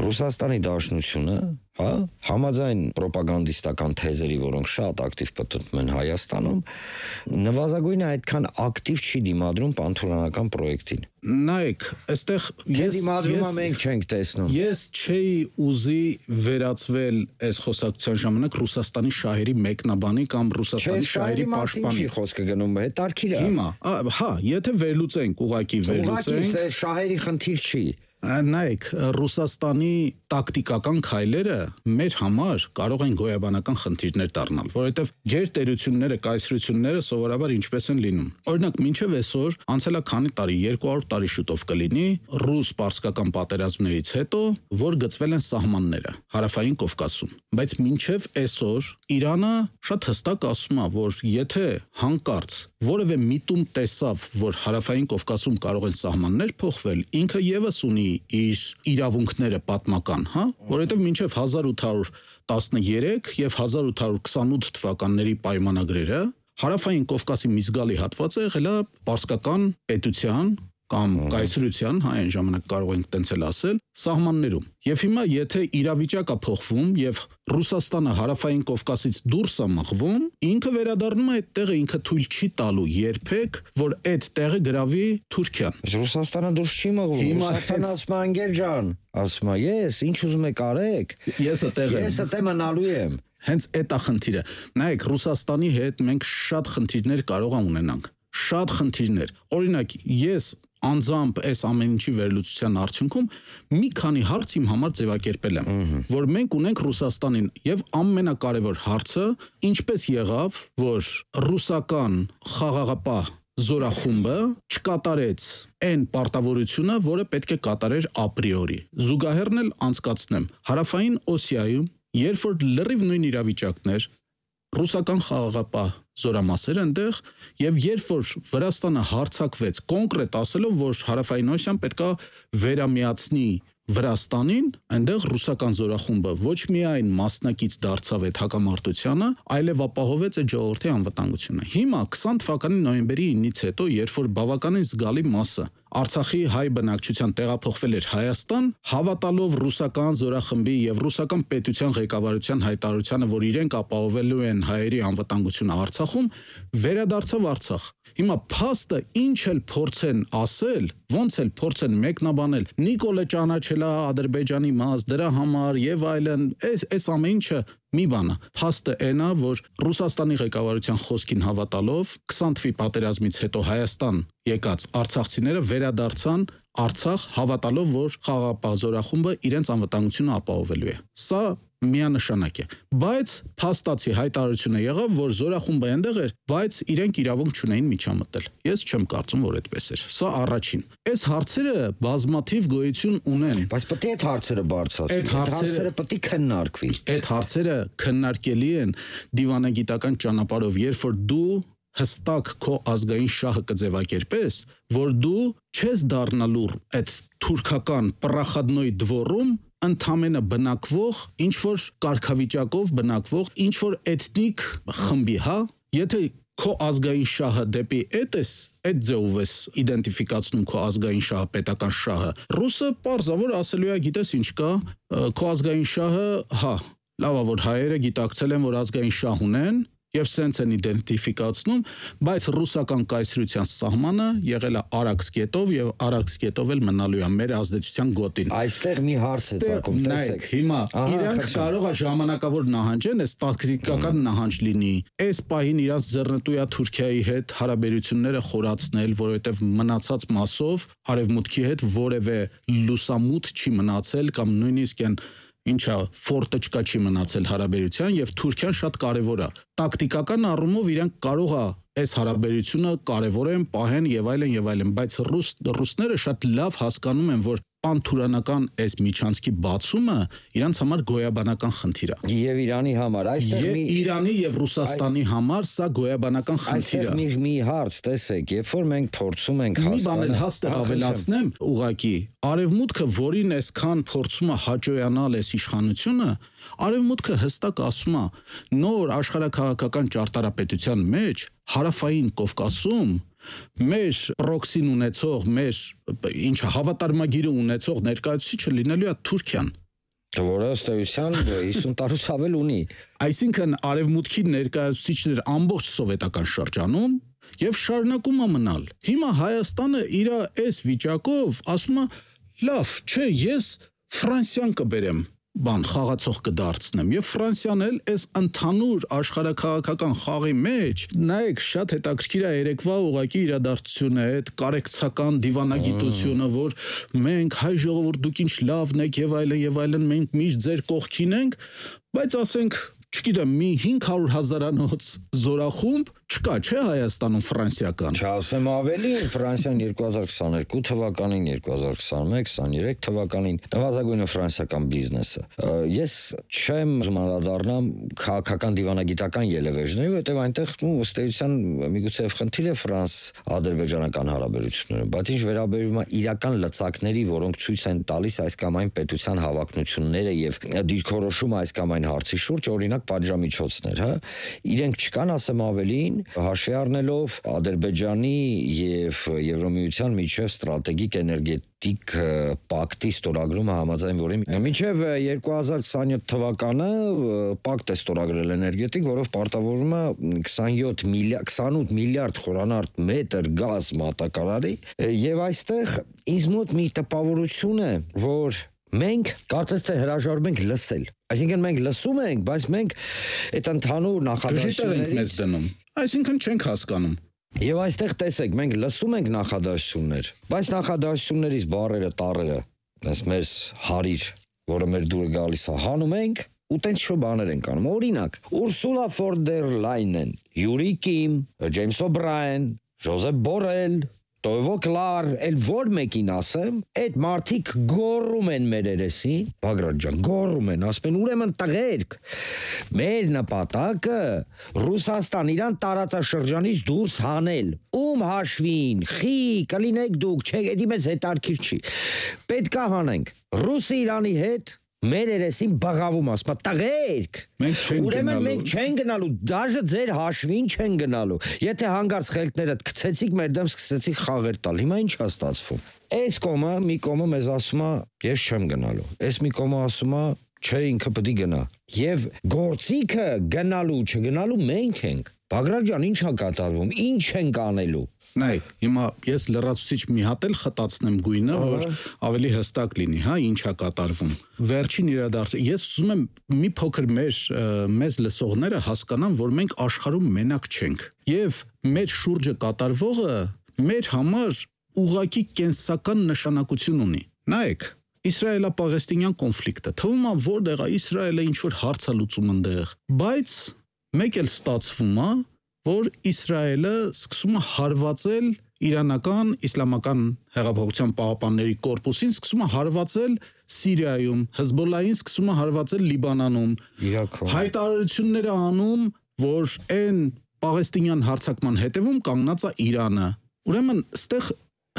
Ռուսաստանի Դաշնությունը, հա, համաձայն ռոպագանդիստական թեզերի, որոնք շատ ակտիվ պտտվում են Հայաստանում, նվազագույնը այդքան ակտիվ չի դիմադրում պանթուրքանական պրոյեկտին։ Նայեք, այստեղ ես դիմադրումը մենք չենք տեսնում։ Ես չէի ուզի վերածվել այս խոսակցության ժամանակ Ռուսաստանի շահերի մեկնաբանի կամ Ռուսաստանի շահերի պաշտպանի։ Չի խոսքը գնում, հետարքիր է։ Հիմա, հա, եթե վերլուծենք, ուղակի վերլուծենք, շահերի խնդիր չի։ Նայեք, Ռուսաստանի տակտիկական քայլերը մեր համար կարող են գոյաբանական խնդիրներ դառնալ, որովհետև գերտերությունները, կայսրությունները սովորաբար ինչպես են լինում։ Օրինակ, մինչև այսօր անցել է քանի տարի, երկու հարյուր տարի շուտով կլինի ռուս-պարսկական պատերազմներից հետո, որ գծվել են սահմանները Հարավային Կովկասում։ Բայց մինչև այսօր Իրանը շատ հստակ ասում է, որ եթե հանկարծ որևէ միտում տեսավ, որ Հարավային Կովկասում կարող են սահմաններ փոխվել, ինքը եւս ունի իր իրավունքները պատմական, հա, որովհետև մինչև հազար ութ հարյուր տասներեք եւ հազար ութ հարյուր քսանութ թվականների պայմանագրերը Հարավային Կովկասի մի զգալի հատվածը եղել է պարսկական պետության կամ կայսրության, հա, այն ժամանակ կարող ենք տենց էլ ասել, սահմաններում։ Եվ հիմա եթե իրավիճակը փոխվում եւ Ռուսաստանը Հարավային Կովկասից դուրս է մղվում, ինքը վերադառնում է այդ տեղը, ինքը թույլ չի տալու երբեք, որ այդ տեղը գրավի Թուրքիան։ Ռուսաստանը դուրս չի մղվում։ Ռուսաստանը ասում է Անգել ջան, ասում է, ես ինչ ուզում եք արեք։ Ես այդտեղ եմ։ Ես այդտեղ մնալու եմ։ Հենց այդ է խնդիրը։ Նայեք, Ռուսաստանի հետ մենք շատ խնդիրներ կարող ենք ունենանք։ Շատ խնդիրներ։ Օրինակ, ես անձամբ այս ամեն ինչի վերլուծության արդյունքում մի քանի հարց իմ համար ձևակերպել եմ, որ մենք ունենք Ռուսաստանին եւ ամենակարևոր հարցը ինչպես եղավ, որ ռուսական խաղաղապահ զորախումբը չկատարեց այն պարտավորությունը, որը պետք է կատարեր ապրիորի։ Զուգահեռն էլ անցկացնեմ, Հարավային Օսիայում, երբ որ լրիվ նույն իրավիճակներ, ռուսական խաղաղապահ զորամասեր այնտեղ եւ երբ որ Վրաստանը հարձակվեց կոնկրետ ասելով, որ Հարավային Օսիան պետքա վերամիացնի Վրաստանին, այնտեղ ռուսական զորախումբը ոչ միայն մասնակից դարձավ այդ հակամարտությանը, այլև ապահովեց այդ ժողովրդի անվտանգությունը։ Հիմա քսան թվականի նոյեմբերի ինից հետո, երբ որ բավականին զգալի մասը Արցախի հայ բնակչության տեղափոխվել էր Հայաստան, հավատալով ռուսական զորախմբի եւ ռուսական պետության ղեկավարության հայտարարությանը, որ իրենք ապահովելու են հայերի անվտանգությունը Արցախում, վերադարձավ Արցախ։ Հիմա փաստը ինչ էլ փորձեն ասել, ոնց էլ փորձեն մեկնաբանել, Նիկոլը ճանաչել է Ադրբեջանի մաս, դրա համար եւ այլն, այս այս ամեն ինչը մի բան է։ Փաստը այն է, որ Ռուսաստանի ղեկավարության խոսքին հավատալով քսան թվականի պատերազմից հետո Հայաստան եկած արցախցիները վերադարձան Արցախ հավատալով, որ խաղաղապահ զորախումբը իրենց անվտանգությունը ապահովելու է։ Սա միանշանակ է, բայց փաստացի հայտարարությունը եղավ, որ զորախումբը այնտեղ էր, բայց իրենք իրավունք չունեին միջամտել։ Ես չեմ կարծում, որ այդպես էր։ Սա առաջին։ Այս հարցերը բազմաթիվ գոյություն ունեն, բայց պետք է այդ հարցերը բարձրացվի։ Այդ հարցերը պետք է քննարկվի։ Այդ հարցերը քննարկելի են դիվանագիտական ճանապարհով, երբ որ դու հստակ քո ազգային շահը կձևակերպես, որ դու չես դառնալու այդ թուրքական պրախադնոյ դվորում ընդամենը բնակվող, ինչ որ կարգավիճակով բնակվող, ինչ որ էթնիկ խմբի, հա, եթե քո ազգային շահը դեպի այդ ես, այդ ձևով ես իդենտիֆիկացնում քո ազգային շահը, պետական շահը, ռուսը պարզավոր ասելու է, գիտես ինչ կա, քո ազգային շահը, հա, լավ է, որ հայերը գիտակցել են, որ ազգային շահ ունեն, եւ սենց են իդենտիֆիկացնում, բայց ռուսական կայսրության սահմանը եղել է Արաքս գետով եւ Արաքս գետով էլ մնալու է մեր ազդեցության գոտին։ Այստեղ մի հարց է ցակում, տեսեք։ Հիմա իրանք կարող է ժամանակավոր նահանջեն, այս տակտիկական նահանջ լինի։ Այս պահին իրանք ձեռնտու է Թուրքիայի հետ հարաբերությունները խորացնել, որովհետեւ մնացած մասով արևմուտքի հետ որևէ լուսամուտ չի մնացել կամ նույնիսկ են ինչա ֆորտը չկա չի մնացել հարաբերության եւ Թուրքիան շատ կարեւոր է։ Տակտիկական առումով իրենք կարող է այս հարաբերությունը կարևորեն, պահեն եւ այլն եւ այլն, բայց ռուս ռուսները շատ լավ հասկանում են, որ պանթուրանական այս միջանցքի բացումը իրանց համար գոյաբանական խնդիր է։ Եվ Իրանի համար, այստեղ մի Իրանի եւ Ռուսաստանի համար սա գոյաբանական խնդիր է։ Այստեղ մի մի հարց, տեսեք, երբ որ մենք փորձում ենք հասկանալ, մի բան էլ հաստատ ավելացնեմ, ուղղակի արևմուտքը, որին այսքան փորձում է հաջողանալ այս իշխանությունը, արևմուտքը հստակ ասում է, նոր աշխարհակաղակական ճարտարապետության մեջ Հարավային Կովկասում մեր պրոքսին ունեցող, մեր ինչ հավատարմագիրը ունեցող ներկայացուցիչը լինելու է Թուրքիան, որը ըստ էության հիսուն տարուց ավել ունի։ Այսինքն արևմուտքի ներկայացուցիչներ ամբողջ սովետական շրջանում եւ շարունակում է մնալ։ Հիմա Հայաստանը իր այս վիճակով ասում է, լավ, չէ, ես Ֆրանսիան կբերեմ։ բան խաղացող կդարձնեմ եւ Ֆրանսիան էլ այս ընդհանուր աշխարհաքաղաքական խաղի մեջ նայեք շատ հետաքրքիր է երեկվա ուղակի իրադարձությունը այդ կարեկցական դիվանագիտությունը որ մենք հայ ժողովուրդ դուք ինչ լավն եք եւ այլն եւ այլն մենք միշտ ձեր կողքին ենք բայց ասենք չգիտեմ մի հինգ հարյուր հազարանոց զորախումբ չկա չէ Հայաստանում ֆրանսիական Չասեմ ավելի Ֆրանսիան երկու հազար քսաներկու թվականին երկու հազար քսաներեք քսաներեք թվականին նվազագույնը ֆրանսիական բիզնեսը ես չեմ ուզում անդրադառնամ քաղաքական դիվանագիտական ելևէջների որտեղ այնտեղ ըստ էության միգուցե խնդիր է ֆրանս-ադրբեջանական հարաբերությունները բայց ինչ վերաբերում է իրական լծակների որոնք ցույց են տալիս այս կամ այն պետության հավակնությունները եւ դիրքորոշումը այս կամ այն հարցի շուրջ օրինակ պատժամիջոցներ հա իրենք չկան ասեմ ավելին հաշվի առնելով Ադրբեջանի եւ Եվրոմիության միջև ստրատեգիկ էներգետիկ պակտի ստորագրումը համաձայն որի մինչև երկու հազար քսաներեք թվականը պակտ է ստորագրել էներգետիկ, որով պարտավորվում է քսանյոթ միլիարդ քսանութ միլիարդ խորանարդ մետր գազ մատակարարի եւ այստեղ ինձ մոտ մի տպավորություն է, որ մենք կարծես թե հրաժարվում ենք լսել Այսինքն մենք լսում ենք, բայց մենք այդ ընդհանուր նախադասություններից դնում։ Այսինքն չենք հասկանում։ Եվ այստեղ տեսեք, մենք լսում ենք նախադասություններ, բայց նախադասություններից բառերը, տառերը, այս մեր հարիր, որը մեր դուրը գալիս է, հանում ենք ու տենց շո բաներ ենք անում։ Օրինակ, Ուրսուլա ֆոն դեր Լայնեն, Յուրի Կիմ, Ջեյմս Օբրաեն, Ժոզեփ Բորել Տովո կլար, էլ որ մեկին ասեմ, այդ մարդիկ գոռում են մեր երեսին, Բագրատ ջան, գոռում են, ասում են ուրեմն տղերք, մեր նպատակը Ռուսաստան իրան տարածաշրջանից դուրս հանել, ում հաշվին, խի, կլինեք դուք, չէ, էդի մեծ հետարքիր չի, պետք է հանենք, Ռուսը Իրանի հետ մեր երեսին բաղավում ասում, տղերք, ուրեմն մենք չեն գնալու, դաժե ձեր հաշվին չեն գնալու, եթե հանգարց խելքներդ գցեցիք մեր դեմ սկսեցիք խաղեր տալ, հիմա ինչ է ստացվում, այս կոմը, մի կոմը մեզ ասում է, ես չեմ գնալու, այս մի կոմը ասում է, չէ ինքը պետք է գնա, եւ գործիքը գնալու, չգնալու մենք ենք, Բագրատ ջան, ինչ է կատարվում, ինչ ենք անելու Նայ, հիմա ես լրացուցիչ մի հատ էլ խտացնեմ գույնը, որ ավելի հստակ լինի, հա, ինչ է կատարվում։ Վերջին իրադարձը, ես ուզում եմ մի փոքր մեր մեզ լսողները հասկանան, որ մենք աշխարհում մենակ չենք։ Եվ մեր շուրջը կատարվողը մեր համար ուղղակի կենսական նշանակություն ունի։ Նայեք, Իսրայելա-Պաղեստինյան կոնֆլիկտը, թվում է որտեղ է Իսրայելը ինչ որ հարց է լուծում այնտեղ, բայց մեկ էլ ստացվում է որ Իսրայելը սկսում է հարվածել իրանական իսլամական հեղափոխության պահապանների կորպուսին, սկսում է հարվածել Սիրիայում, Հեզբոլլահին սկսում է հարվածել Լիբանանում, Իրաքում, հայտարարությունները անում, որ այն պաղեստինյան հարձակման հետևում կանգնած է Իրանը։ Ուրեմն, ստեղ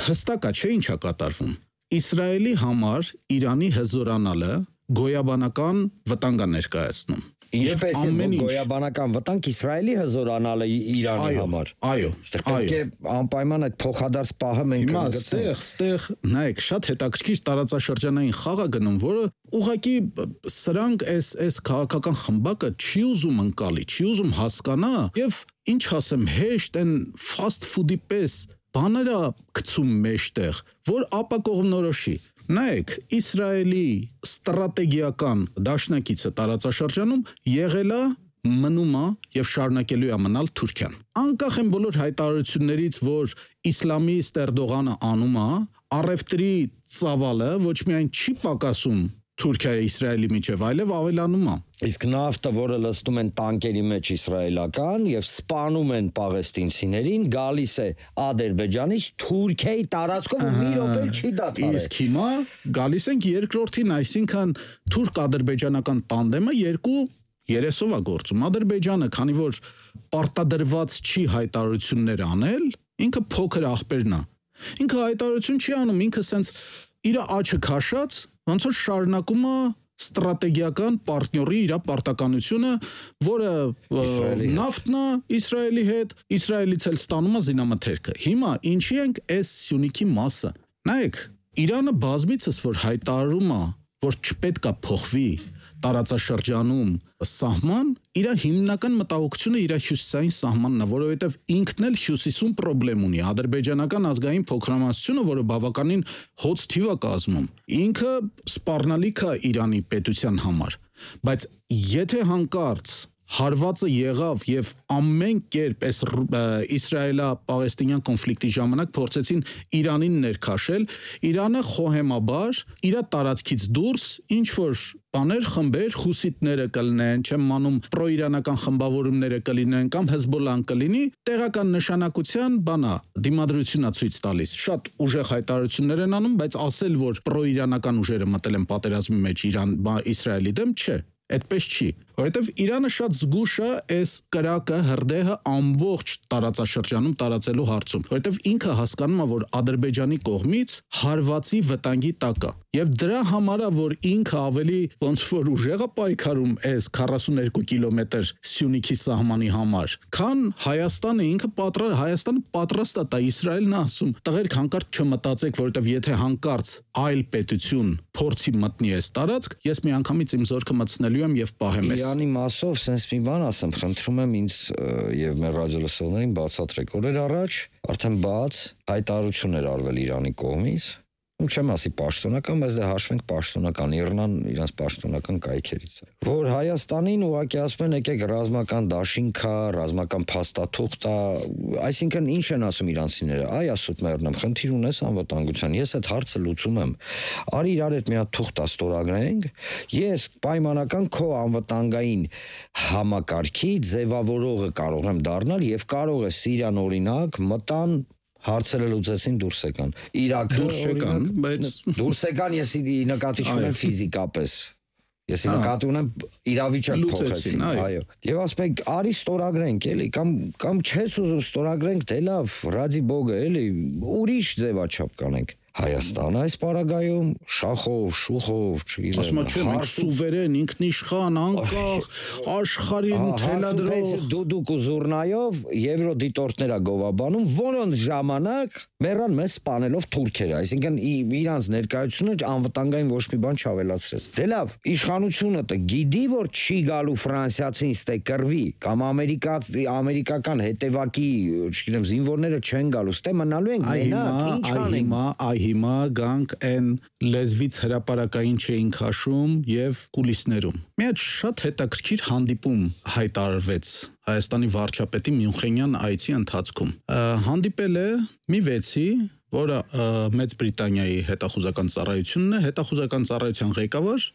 հստակ է, չէ՞ ինչ է կատարվում։ Իսրայելի համար Իրանի հզորանալը գոյաբանական վտանգ է ներկայացնում։ Ինչպես է գոյաբանական վտանգ Իսրայելի հզորանալը Իրանի համար։ Այո, պետք է անպայման այդ փոխադարձ պահը մենք կգտնենք։ Այստեղ, ստեղ, նայեք, շատ հետաքրքիր տարածաշրջանային խաղ է գնում, որը ուղղակի սրանք այս այս քաղաքական խմբակը չի ուզում ընկալի, չի ուզում հասկանա, եւ ինչ ասեմ, հեշտ են fast food-ի պես բաները գցում մեջտեղ, որ ապակողմնորոշի։ Նայեք, Իսրայելի ստրատեգիական դաշնակիցը տարածաշրջանում եղել է, մնում է եւ շարունակելու է մնալ Թուրքիան։ Անկախ են բոլոր հայտարարություններից, որ իսլամիստ Էրդողանը անում է, առևտրի ծավալը ոչ միայն չի պակասում Թուրքիայի Իսրայելի միջև, այլև ավելանում է։ Իսկ նավթը, որը լցնում են տանկերի մեջ իսրայելական եւ սպանում են պաղեստինցիներին, գալիս է Ադրբեջանից Թուրքիայի տարածքով ու մի րոպե չի դադարել։ Իսկ հիմա գալիս ենք երկրորդին, այսինքն թուրք-ադրբեջանական տանդեմը երկու երեսով է գործում։ Ադրբեջանը, քանի որ պարտադրված չի հայտարարություններ անել, ինքը փոքր աղբերն է։ Ինքը հայտարարություն չի անում, ինքը սենց իր աչքը քաշած, ոնց որ շարունակում է ստրատեգիական պարտների իր պարտականությունը, որը նավթն է Իսրայելի հետ, Իսրայելից էլ ստանում է զինամթերքը։ Հիմա ինչի ենք այս Սյունիքի մասը։ Նայեք, Իրանը բազմիցս որ հայտարարում է, որ չպետք է փոխվի տարածաշրջանում սահման, իր հիմնական մտահոգությունը իր հյուսիսային սահմանն է, որովհետև ինքն էլ հյուսիսում խնդրեմ ունի։ Ադրբեջանական ազգային փոքրամասնությունը, որը բավականին հոծ թիվ է կազմում, ինքը սպառնալիք է Իրանի պետության համար, բայց եթե հանկարծ հարվածը եղավ եւ ամեն կերպ այս Իսրայելա-Պաղեստինյան կոնֆլիկտի ժամանակ փորձեցին Իրանին ներքաշել, Իրանը խոհեմաբար իր տարածքից դուրս ինչ որ բաներ, խմբեր, խուսիտները կլինեն, չեմ մանում պրոիրանական խմբավորումները կլինեն կամ Հեզբոլլան կլինի, տեղական նշանակության բանա դիմադրությունա ցույց տալիս։ Շատ ուժեղ հայտարարություններ են անում, բայց ասել, որ պրոիրանական ուժերը մտել են պատերազմի մեջ Իրան, Իսրայելի դեմ, չէ։ Այդպես չի, որովհետև Իրանը շատ զգուշ է այս կրակը, հրդեհը ամբողջ տարածաշրջանում տարածելու հարցում, որովհետև ինքը հասկանում է, որ Ադրբեջանի կողմից հարվածի վտանգի տակ է։ Եվ դրա համար է, որ ինքը ավելի ոնց որ ուժեղ է պայքարում այս քառասունուերկու կիլոմետր Սյունիքի սահմանի համար, քան Հայաստանը ինքը պատրաստ Հայաստանը պատրաստ է տա Իսրայելն ասում, տղերք հանկարծ չմտածեք, որովհետև եթե հանկարծ այլ պետություն փորձի մտնի այս տարածք, ես միանգամից իմ զորքը մտցնելու եմ եւ պահեմ ես։ Իրանի մասով sense մի բան ասեմ, խնդրում եմ ինձ եւ մեր ռադիոլսողներին բացատրեք, օրեր առաջ արդեն բաց հայտարարություն էր արվել Իրանի կողմից, չեմ ասի պաշտոնական, բայց դե հաշվենք պաշտոնական, Իռնան իրանց պաշտոնական կայքերից է, որ Հայաստանին ուղղակի ասում են եկեք ռազմական դաշինքա, ռազմական փաստաթուղթ է, այսինքն ինչ են ասում իրանցիները, այ ասում մեռնեմ, խնդիր ունես անվտանգության, ես այդ հարցը լուծում եմ, արի իրար հետ մի հատ թուղթ ստորագրենք, ես պայմանական քո անվտանգային համակարգի ձևավորողը կարող եմ դառնալ եւ կարող է Սիրիան օրինակ մտան հարցերը լուծեցին դուրս եկան։ Իրաքը դուրս եկան, բայց դուրս եկան ես նկատի ունեմ ֆիզիկապես։ Ես նկատի ունեմ իրավիճակ փոխեցին, այո։ Եվ ասում եք, արի ստորագրենք, էլի, կամ կամ չես ուզում ստորագրենք, դե լավ, ռադի բոգը, էլի, ուրիշ ձևաչափ կանենք։ Հայաստանը այս պարագայում շախով, շուխով, չգիտեմ, ասում եմ, մենք սուվերեն, ինքնիշխան, անկախ, աշխարհին թելադրող դուդուկ ու զուռնայով եվրոդիտորդները գովաբանում, որոնց ժամանակ մեռան մեզ սպանելով թուրքերը, այսինքն իրանց ներկայությունը անվտանգային ոչ մի բան չավելացրեց։ Դե լավ, իշխանությունը դե գիտի, որ չի գալու ֆրանսիացին ստե կռվի, կամ ամերիկա ամերիկական հետևակի, չգիտեմ, զինվորները չեն գալու, ստե մնալու են մենակ, ինչ անենք։ Հիմա գանք այն լեզվից հրապարակային չէին քաշում եւ կուլիսներում։ Մի հատ շատ հետաքրքիր հանդիպում հայտարարվեց Հայաստանի վարչապետի Մյունխենյան այցի ընթացքում։ Հանդիպել է մի վեցի, որը Մեծ Բրիտանիայի հետախուզական ծառայությունն է, հետախուզական ծառայության ղեկավար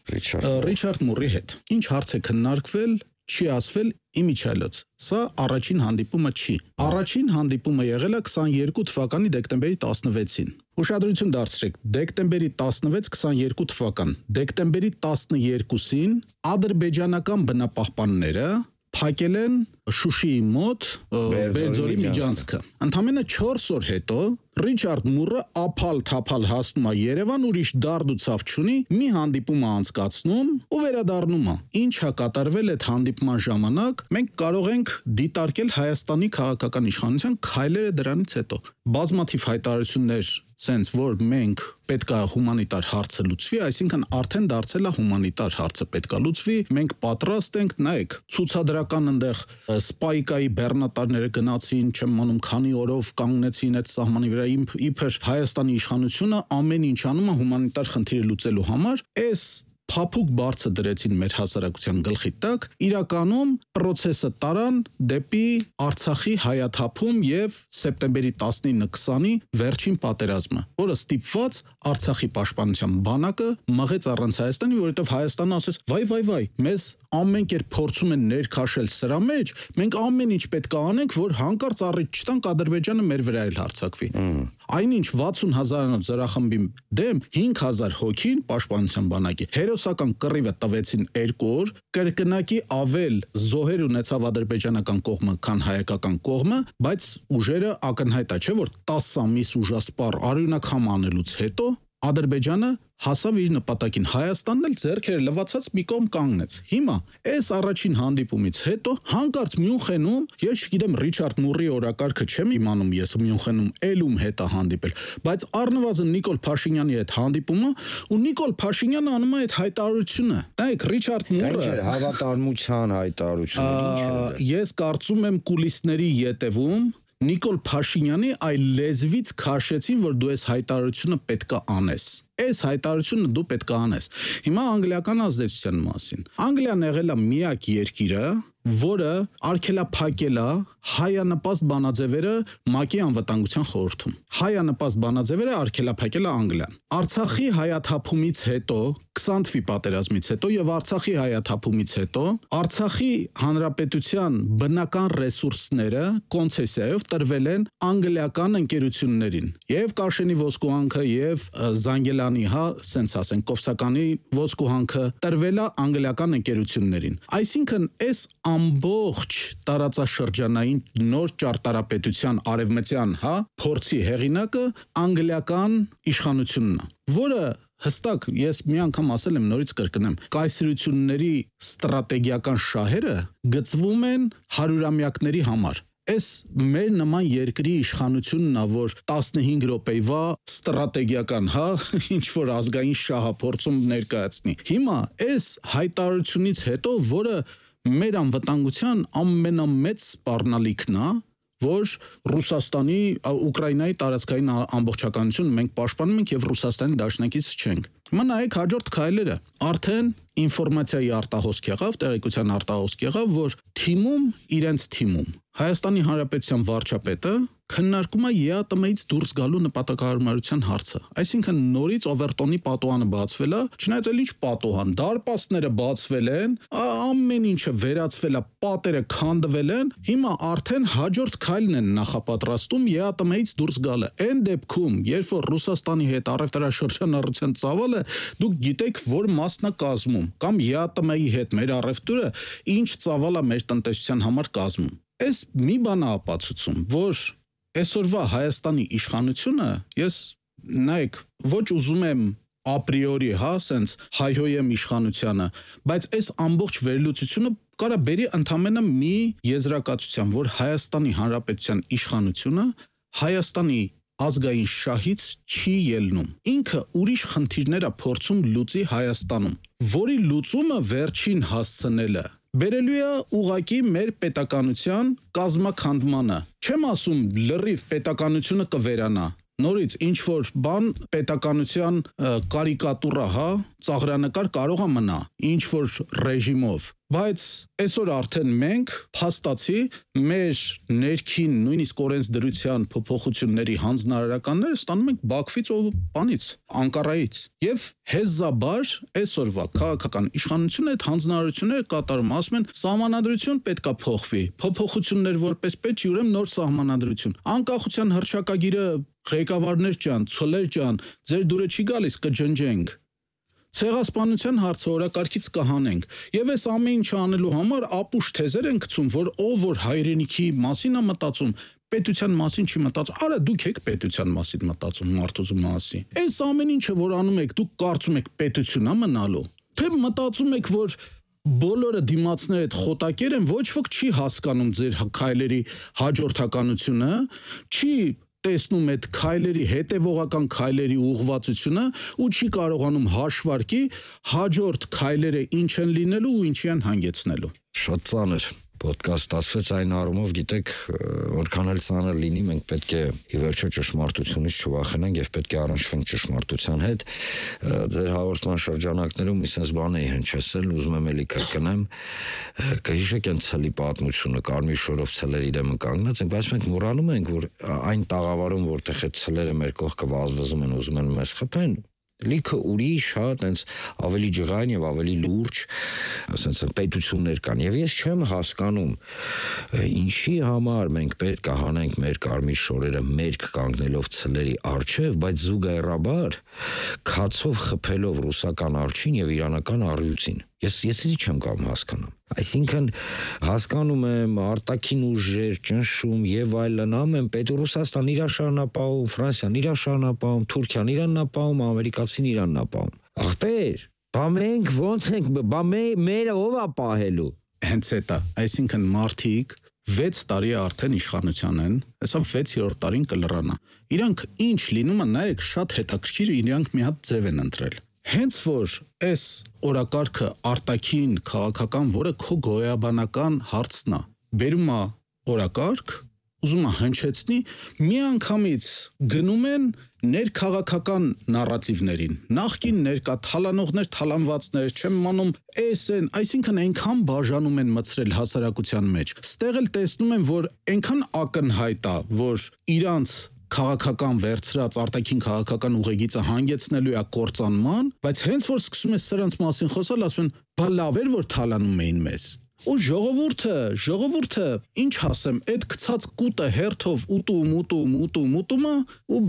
Ռիչարդ Մուրի հետ։ Ինչ հարց է քննարկվել, չի ասվել իմիջիալոց։ Սա առաջին հանդիպումը չի։ Առաջին հանդիպումը եղել է քսաներկու թվականի դեկտեմբերի տասնվեցին։ Ուշադրություն դարձրեք, դեկտեմբերի տասնվեց քսաներկու թվական։ Դեկտեմբերի տասներկուսին ադրբեջանական բնապահպանները փակել են Շուշիի մոտ Բերձորի միջանցքը։ Ընդամենը չորս օր հետո Ռիչարդ Մուրը ափալ-թափալ հասնում է Երևան, ուրիշ դարդ ու ցավ չունի, մի հանդիպում է անցկացնում ու վերադառնում է։ Ինչ է կատարվել այդ հանդիպման ժամանակ, մենք կարող ենք դիտարկել Հայաստանի քաղաքական իշխանության քայլերը դրանից հետո։ Բազմաթիվ հայտարարություններ sense որ մենք պետքա հումանիտար հարցը լուծվի, այսինքն արդեն դարձել է հումանիտար հարցը պետքա լուծվի, մենք պատրաստ ենք, նայեք, ցուցադրական այնտեղ սպայկայի բեռնատարները գնացին, չեմ մանում քանի օրով կանգնեցին այդ սահմանի վրա, իբր Հայաստանի իշխանությունը ամեն ինչ անում է հումանիտար խնդիրը լուծելու համար, այս փափուկ բարձը դրեցին մեր հասարակության գլխի տակ, իրականում process-ը տարան դեպի Արցախի հայաթափում եւ սեպտեմբերի տասնինը քսանի վերջին պատերազմը, որը ստիպված Արցախի պաշտպանության բանակը մղեց առանց Հայաստանի, որովհետեւ Հայաստանը ասեց՝ «Վայ, վայ, վայ, մեզ ամեն կերպ փորձում են ներքաշել սրա մեջ, մենք ամեն ինչ պետք է անենք, որ հանկարծ առիթ չտանք Ադրբեջանը մեր վրա էլ հարձակվի»։ Այնինչ վաթսուն հազարանոց զորախմբի դեմ հինգ հազար հոգին պաշտպանության բանակի հերոսական կռիվը տվեցին երկու օր, կրկնակի ավել զոհեր ունեցավ ադրբեջանական կողմը, քան հայկական կողմը, բայց ուժերը ակնհայտ է, չէ՞ որ տասը ամիս ուժասպառ արյունաքամ անելուց հետո Ադրբեջանը հասավ իր նպատակին, Հայաստանն էլ ձեռքերը լվացած մի կողմ կանգնեց։ Հիմա այս առաջին հանդիպումից հետո հանկարծ Մյունխենում, ես չգիտեմ Ռիչարդ Մուրի օրակարգը չեմ իմանում, ես Մյունխենում ելում հետ է հանդիպել, բայց առնվազն Նիկոլ Փաշինյանի հետ հանդիպումը ու Նիկոլ Փաշինյանը անում է այդ հայտարարությունը։ Նայեք, Ռիչարդ Մուրը հավատարմության հայտարարությունը։ Ես կարծում եմ կուլիսների ետևում Նիկոլ Փաշինյանի այլ լեզվից քաշեցին, որ դու այս հայտարարությունը պետք է անես։ Այս հայտարարությունը դու պետք է անես։ Հիմա անգլիական ազդեցության մասին։ Անգլիան եղել է միակ երկիրը, որը արգելափակել է հայանպաստ բանաձևերը ՄԱԿ-ի անվտանգության խորհրդում։ Հայանպաստ բանաձևերը արգելափակել է Անգլիան։ Արցախի հայաթափումից հետո, քսան թվականի պատերազմից հետո եւ Արցախի հայաթափումից հետո Արցախի հանրապետության բնական ռեսուրսները կոնցեսիայով տրվել են անգլիական ընկերություններին։ Եվ Կաշենի ոսկուհանքը եւ Զանգելանի, հա, սենց ասենք, Կովսականի ոսկուհանքը տրվել է անգլիական ընկերություններին։ Այսինքն այս ամբողջ տարածաշրջանային նոր ճարտարապետության արևմտյան, հա, փորձի հեղինակը անգլիական իշխանությունն է, որը հստակ ես մի անգամ ասել եմ, նորից կրկնեմ, կայսրությունների ստրատեգիական շահերը գծվում են հարյուրամյակների համար։ Այս մեր նման երկրի իշխանությունն է, որ տասնհինգ րոպեվա ստրատեգիական, հա, ինչ որ ազգային շահափորձում ներկայացնի։ Հիմա այս հայտարարությունից հետո, որը մեր անվտանգության ամենամեծ սպառնալիքն է, որ Ռուսաստանի, Ուկրաինայի տարածքային ամբողջականությունը մենք պաշտպանում ենք եւ Ռուսաստանի դաշնակից չենք։ Հիմա նայեք հաջորդ քայլերը։ Արդեն ինֆորմացիայի արտահոսք եղավ, տեղեկության արտահոսք եղավ, որ թիմում, իրենց թիմում Հայաստանի Հանրապետության վարչապետը քննարկում է ԵԱՏՄ-ից դուրս գալու նպատակահարմարության հարցը։ Այսինքն նորից Օվերտոնի պատուհանը բացվել է, չնայած էլ ինչ պատուհան, դարպասները բացվել են, ամեն ինչը վերացվել է, պատերը քանդվել են, հիմա արդեն հաջորդ քայլն են նախապատրաստում ԵԱՏՄ-ից դուրս գալը։ Այն դեպքում, երբ որ Ռուսաստանի հետ առևտրաշրջանառության ծավալը դուք գիտեք, որ մասն է կազմում, կամ ԵԱՏՄ-ի հետ մեր առևտուրը ինչ ծավալ է մեր տնտեսության համար կազմում։ Այս մի բան է ապացուցում, որ այսօրվա Հայաստանի իշխանությունը, ես նայեք, ոչ ուզում եմ ապրիորի, հա, սենց հայհոյեմ իշխանությանը, բայց այս ամբողջ վերլուծությունը կարա բերի ընդամենը մի եզրակացության, որ Հայաստանի Հանրապետության իշխանությունը Հայաստանի ազգային շահից չի ելնում։ Ինքը ուրիշ խնդիրներ է փորձում լուծի Հայաստանում, որի լուծումը վերջին հասցնելը բերելու է ուղղակի մեր պետականության կազմաքանդմանը։ Չեմ ասում լրիվ պետականությունը կվերանա, նորից ինչ որ բան պետականության կարիկատուրա, հա, ծաղրանկար կարող է մնա, ինչ որ ռեժիմով, բայց այսօր արդեն մենք փաստացի մեր ներքին նույնիսկ օրենսդրության փոփոխությունների հանձնարարականները ստանում ենք Բաքվից ու բանից, Անկարայից, եւ հեզաբար այսօրվա քաղաքական իշխանությունը այդ հանձնարարությունները կատարում, ասում են սահմանադրություն պետքա փոխվի, փոփոխություններ որպես պետք չի, ուրեմն նոր սահմանադրություն, անկախության հռչակագիրը ղեկավարներ ջան, ցոլեր ջան, ձեր դուրը չի գալիս, կջնջենք։ Ցեղասպանության հարցը օրակարգից կհանենք եւ այս ամեն ինչը անելու համար ապուշ թեզեր են գցում, որ ով որ հայրենիքի մասին է մտածում, պետության մասին չի մտածում։ Արա դուք եք պետության մասին մտածում, մարդուզու մասին։ Այս ամեն ինչը որ անում եք, դուք կարծում եք պետություն է մնալու։ Թե մտածում եք, որ բոլորը դիմացները այդ խոտակեր են, ոչ ոք չի հասկանում ձեր քայլերի հաջորդականությունը, չի տեսնում այդ քայլերի հետևողական քայլերի ուղղվածությունը ու չի կարողանում հաշվարկի հաջորդ քայլերը ինչ են լինելու ու ինչի են հանգեցնելու։ Շատ ծանր podcast ասվեց այն առումով, գիտեք, որքան էլ ծանր լինի, մենք պետք է ի վերջո ճշմարտությունից չվախենանք եւ պետք է առնչվենք ճշմարտության հետ։ Ձեր հաղորդման շրջանակներում մի sense բան էի հնչեցել, ուզում եմ էլի կրկնեմ, կհիշեք այն ցլի պատմությունը, կարմիր շորով ցլերի դեմը կանգնած ենք, բայց մենք մոռանում ենք, որ այն տաղավարում, որտեղ այդ ցլերը մեր կողքը վազվզում են, ուզում են մեզ խփեն, լիքը ուրիշ, հա, տենց ավելի ջղայն եւ ավելի լուրջ, ասենց պետություններ կան եւ ես չեմ հասկանում ինչի համար մենք պետք է հանենք մեր կարմիր շորերը մերկ կանգնելով ցլերի առջև, բայց զուգահեռաբար քացով խփելով ռուսական արջին եւ իրանական առյուծին։ Ես ես էլի չեմ կարող հասկանամ։ Այսինքն հասկանում եմ արտաքին ուժեր, ճնշում եւ այլն, ամեն պետ Ռուսաստան իր շարունակապահում, Ֆրանսիան իր շարունակապահում, Թուրքիան իրան նապահում, ամերիկացին իրան նապահում։ Ախպեր, բա մենք ո՞նց ենք, բա մերը ով է պահելու։ Հենց էտա, այսինքն մարդիկ վեց տարի արդեն իշխանության են, հեսա վեցերորդ տարին կլռանա։ Իրանք ինչ լինում է, նայեք, շատ հետաքրքիր, իրանք մի հատ ձև են ընտրել։ Հենց որ այս օրակարգը արտաքին քաղաքական, որը քո գոյաբանական հարցն է, բերում է օրակարգ, ուզում է հնչեցնի, միանգամից գնում են ներքաղաքական նարատիվներին, նախկին ներկա թալանողներ, թալանվածներ, չեմ մանում, էս են, այսինքն այնքան բաժանում են մցրել հասարակության մեջ, ստեղ էլ տեսնում են, որ այնքան ակնհայտ է, որ իրանց քաղաքական վերցրած արտաքին քաղաքական ուղեգիծը հանգեցնելու է կործանման, բայց հենց որ սկսում է սրանց մասին խոսալ, ասում են, բա լավ էր, որ թալանում էին մեզ։ Ու ժողովուրդը, ժողովուրդը, ինչ ասեմ, այդ գցած կուտը հերթով ուտում, ուտում, ուտում, ուտում է ու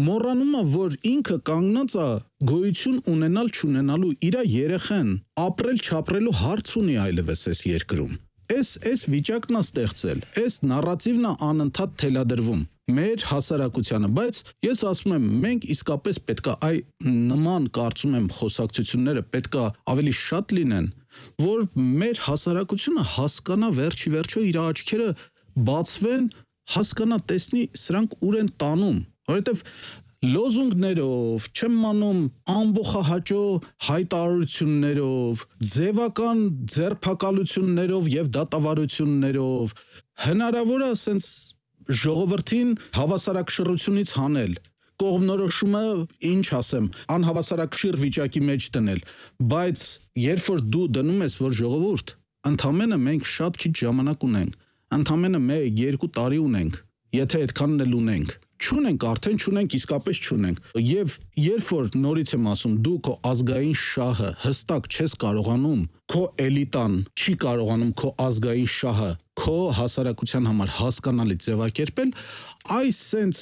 մոռանում է, որ ինքը կանգնած է գոյություն ունենալ չունենալու իր երեխեն ապրել չապրելու հարց ունի այլևս այս երկրում։ Այս այս վիճակն է ստեղծել, այս նարատիվն է անընդհատ թելադրվում մեր հասարակությանը, բայց ես ասում եմ, մենք իսկապես պետքա այ նման կարծում եմ խոսակցությունները պետքա ավելի շատ լինեն, որ մեր հասարակությունը հասկանա վերջի վերջո իր աչքերը բացվեն, հասկանա տեսնի սրանք ուր են տանում, որովհետև լոզունգներով, չեմ մանում ամբողջահաճո հայտարարություններով, ձևական ձերբակալություններով եւ դատավարություններով հնարավոր է ասենց ժողովրդին հավասարակշռությունից հանել, կողմնորոշումը, ինչ ասեմ, անհավասարակշիռ վիճակի մեջ դնել, բայց երբ որ դու դնում ես, որ ժողովուրդ, ընդամենը մենք շատ քիչ ժամանակ ունենք, ընդամենը մեկ երկու տարի ունենք, եթե այդքանն էլ ունենք, չունենք, արդեն չունենք, իսկապես չունենք, եւ երբ որ նորից եմ ասում, դու քո ազգային շահը հստակ չես կարողանում, քո էլիտան չի կարողանում քո ազգային շահը քո հասարակության համար հասկանալի ձևակերպել, այս սենց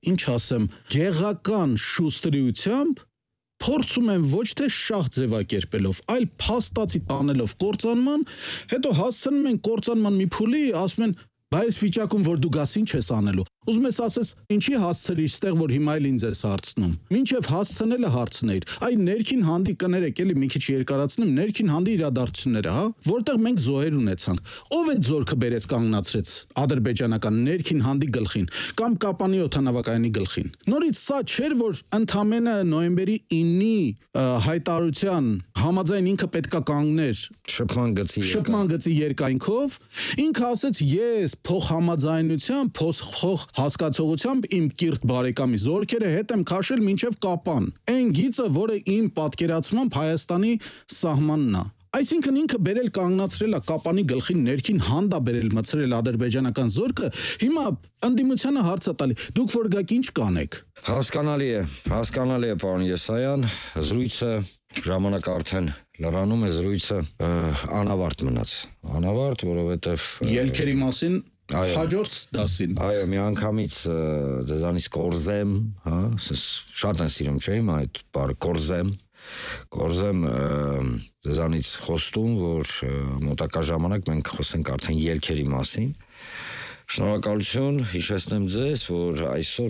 ինչ ասեմ, գեղական շուստրիությամբ փորձում են ոչ թե շահ ձևակերպելով, այլ փաստացի տանելով կործանման, հետո հասցնում են կործանման մի փուլի, ասում են, բա այս վիճակում որ դու գաս ինչ ես անելու, ուզում ես ասես, ինչի հասցրիր ստեղ, որ հիմա էլ ինձ ես հարցնում, մինչև հասցնելը հարցնեիր, այ ներքին հանդի կներեք, էլի մի քիչ երկարացնեմ, ներքին հանդի իրադարձությունները, հա, որտեղ մենք զոհեր ունեցանք, ով այդ զորքը բերեց կանգնացրեց ադրբեջանական ներքին հանդի գլխին, կամ Կապանի օդանավակայանի գլխին, նորից սա չէր, որ ընդամենը նոյեմբերի իննի հայտարարության համաձայն ինքը պետքա կանգներ շփման գծի շփման գծի երկայնքով, ինքը ասեց ես փոխհամաձայնությամբ, փոխ հասկացողությամբ իմ կիրթ բարեկամի զորքերը հետ եմ քաշել մինչև Կապան, այն գիծը, որը իմ պատկերացմամբ Հայաստանի սահմանն է։ Այսինքն ինքը բերել կանգնացրել է Կապանի գլխին ներքին հանդա բերել մցրել ադրբեջանական զորքը, հիմա ընդդիմությանը հարց է տալի, դուք որ գաք ինչ կանեք։ Հասկանալի է, հասկանալի է, պարոն Եսայան, զրույցը ժամանակ արդեն լրանում է, զրույցը անավարտ մնաց, անավարտ, որովհետև ելքերի մասին հաջորդ դասին։ Այո, մի անգամից ձեզանից կորզեմ, հա, շատ են սիրում, չէ՞ իմ այդ բառը կորզեմ, կորզեմ ձեզանից խոստում, որ մոտակա ժամանակ մենք խոսենք արդեն ելքերի մասին։ Շնորհակալություն, հիշեցնեմ ձեզ, որ այսօր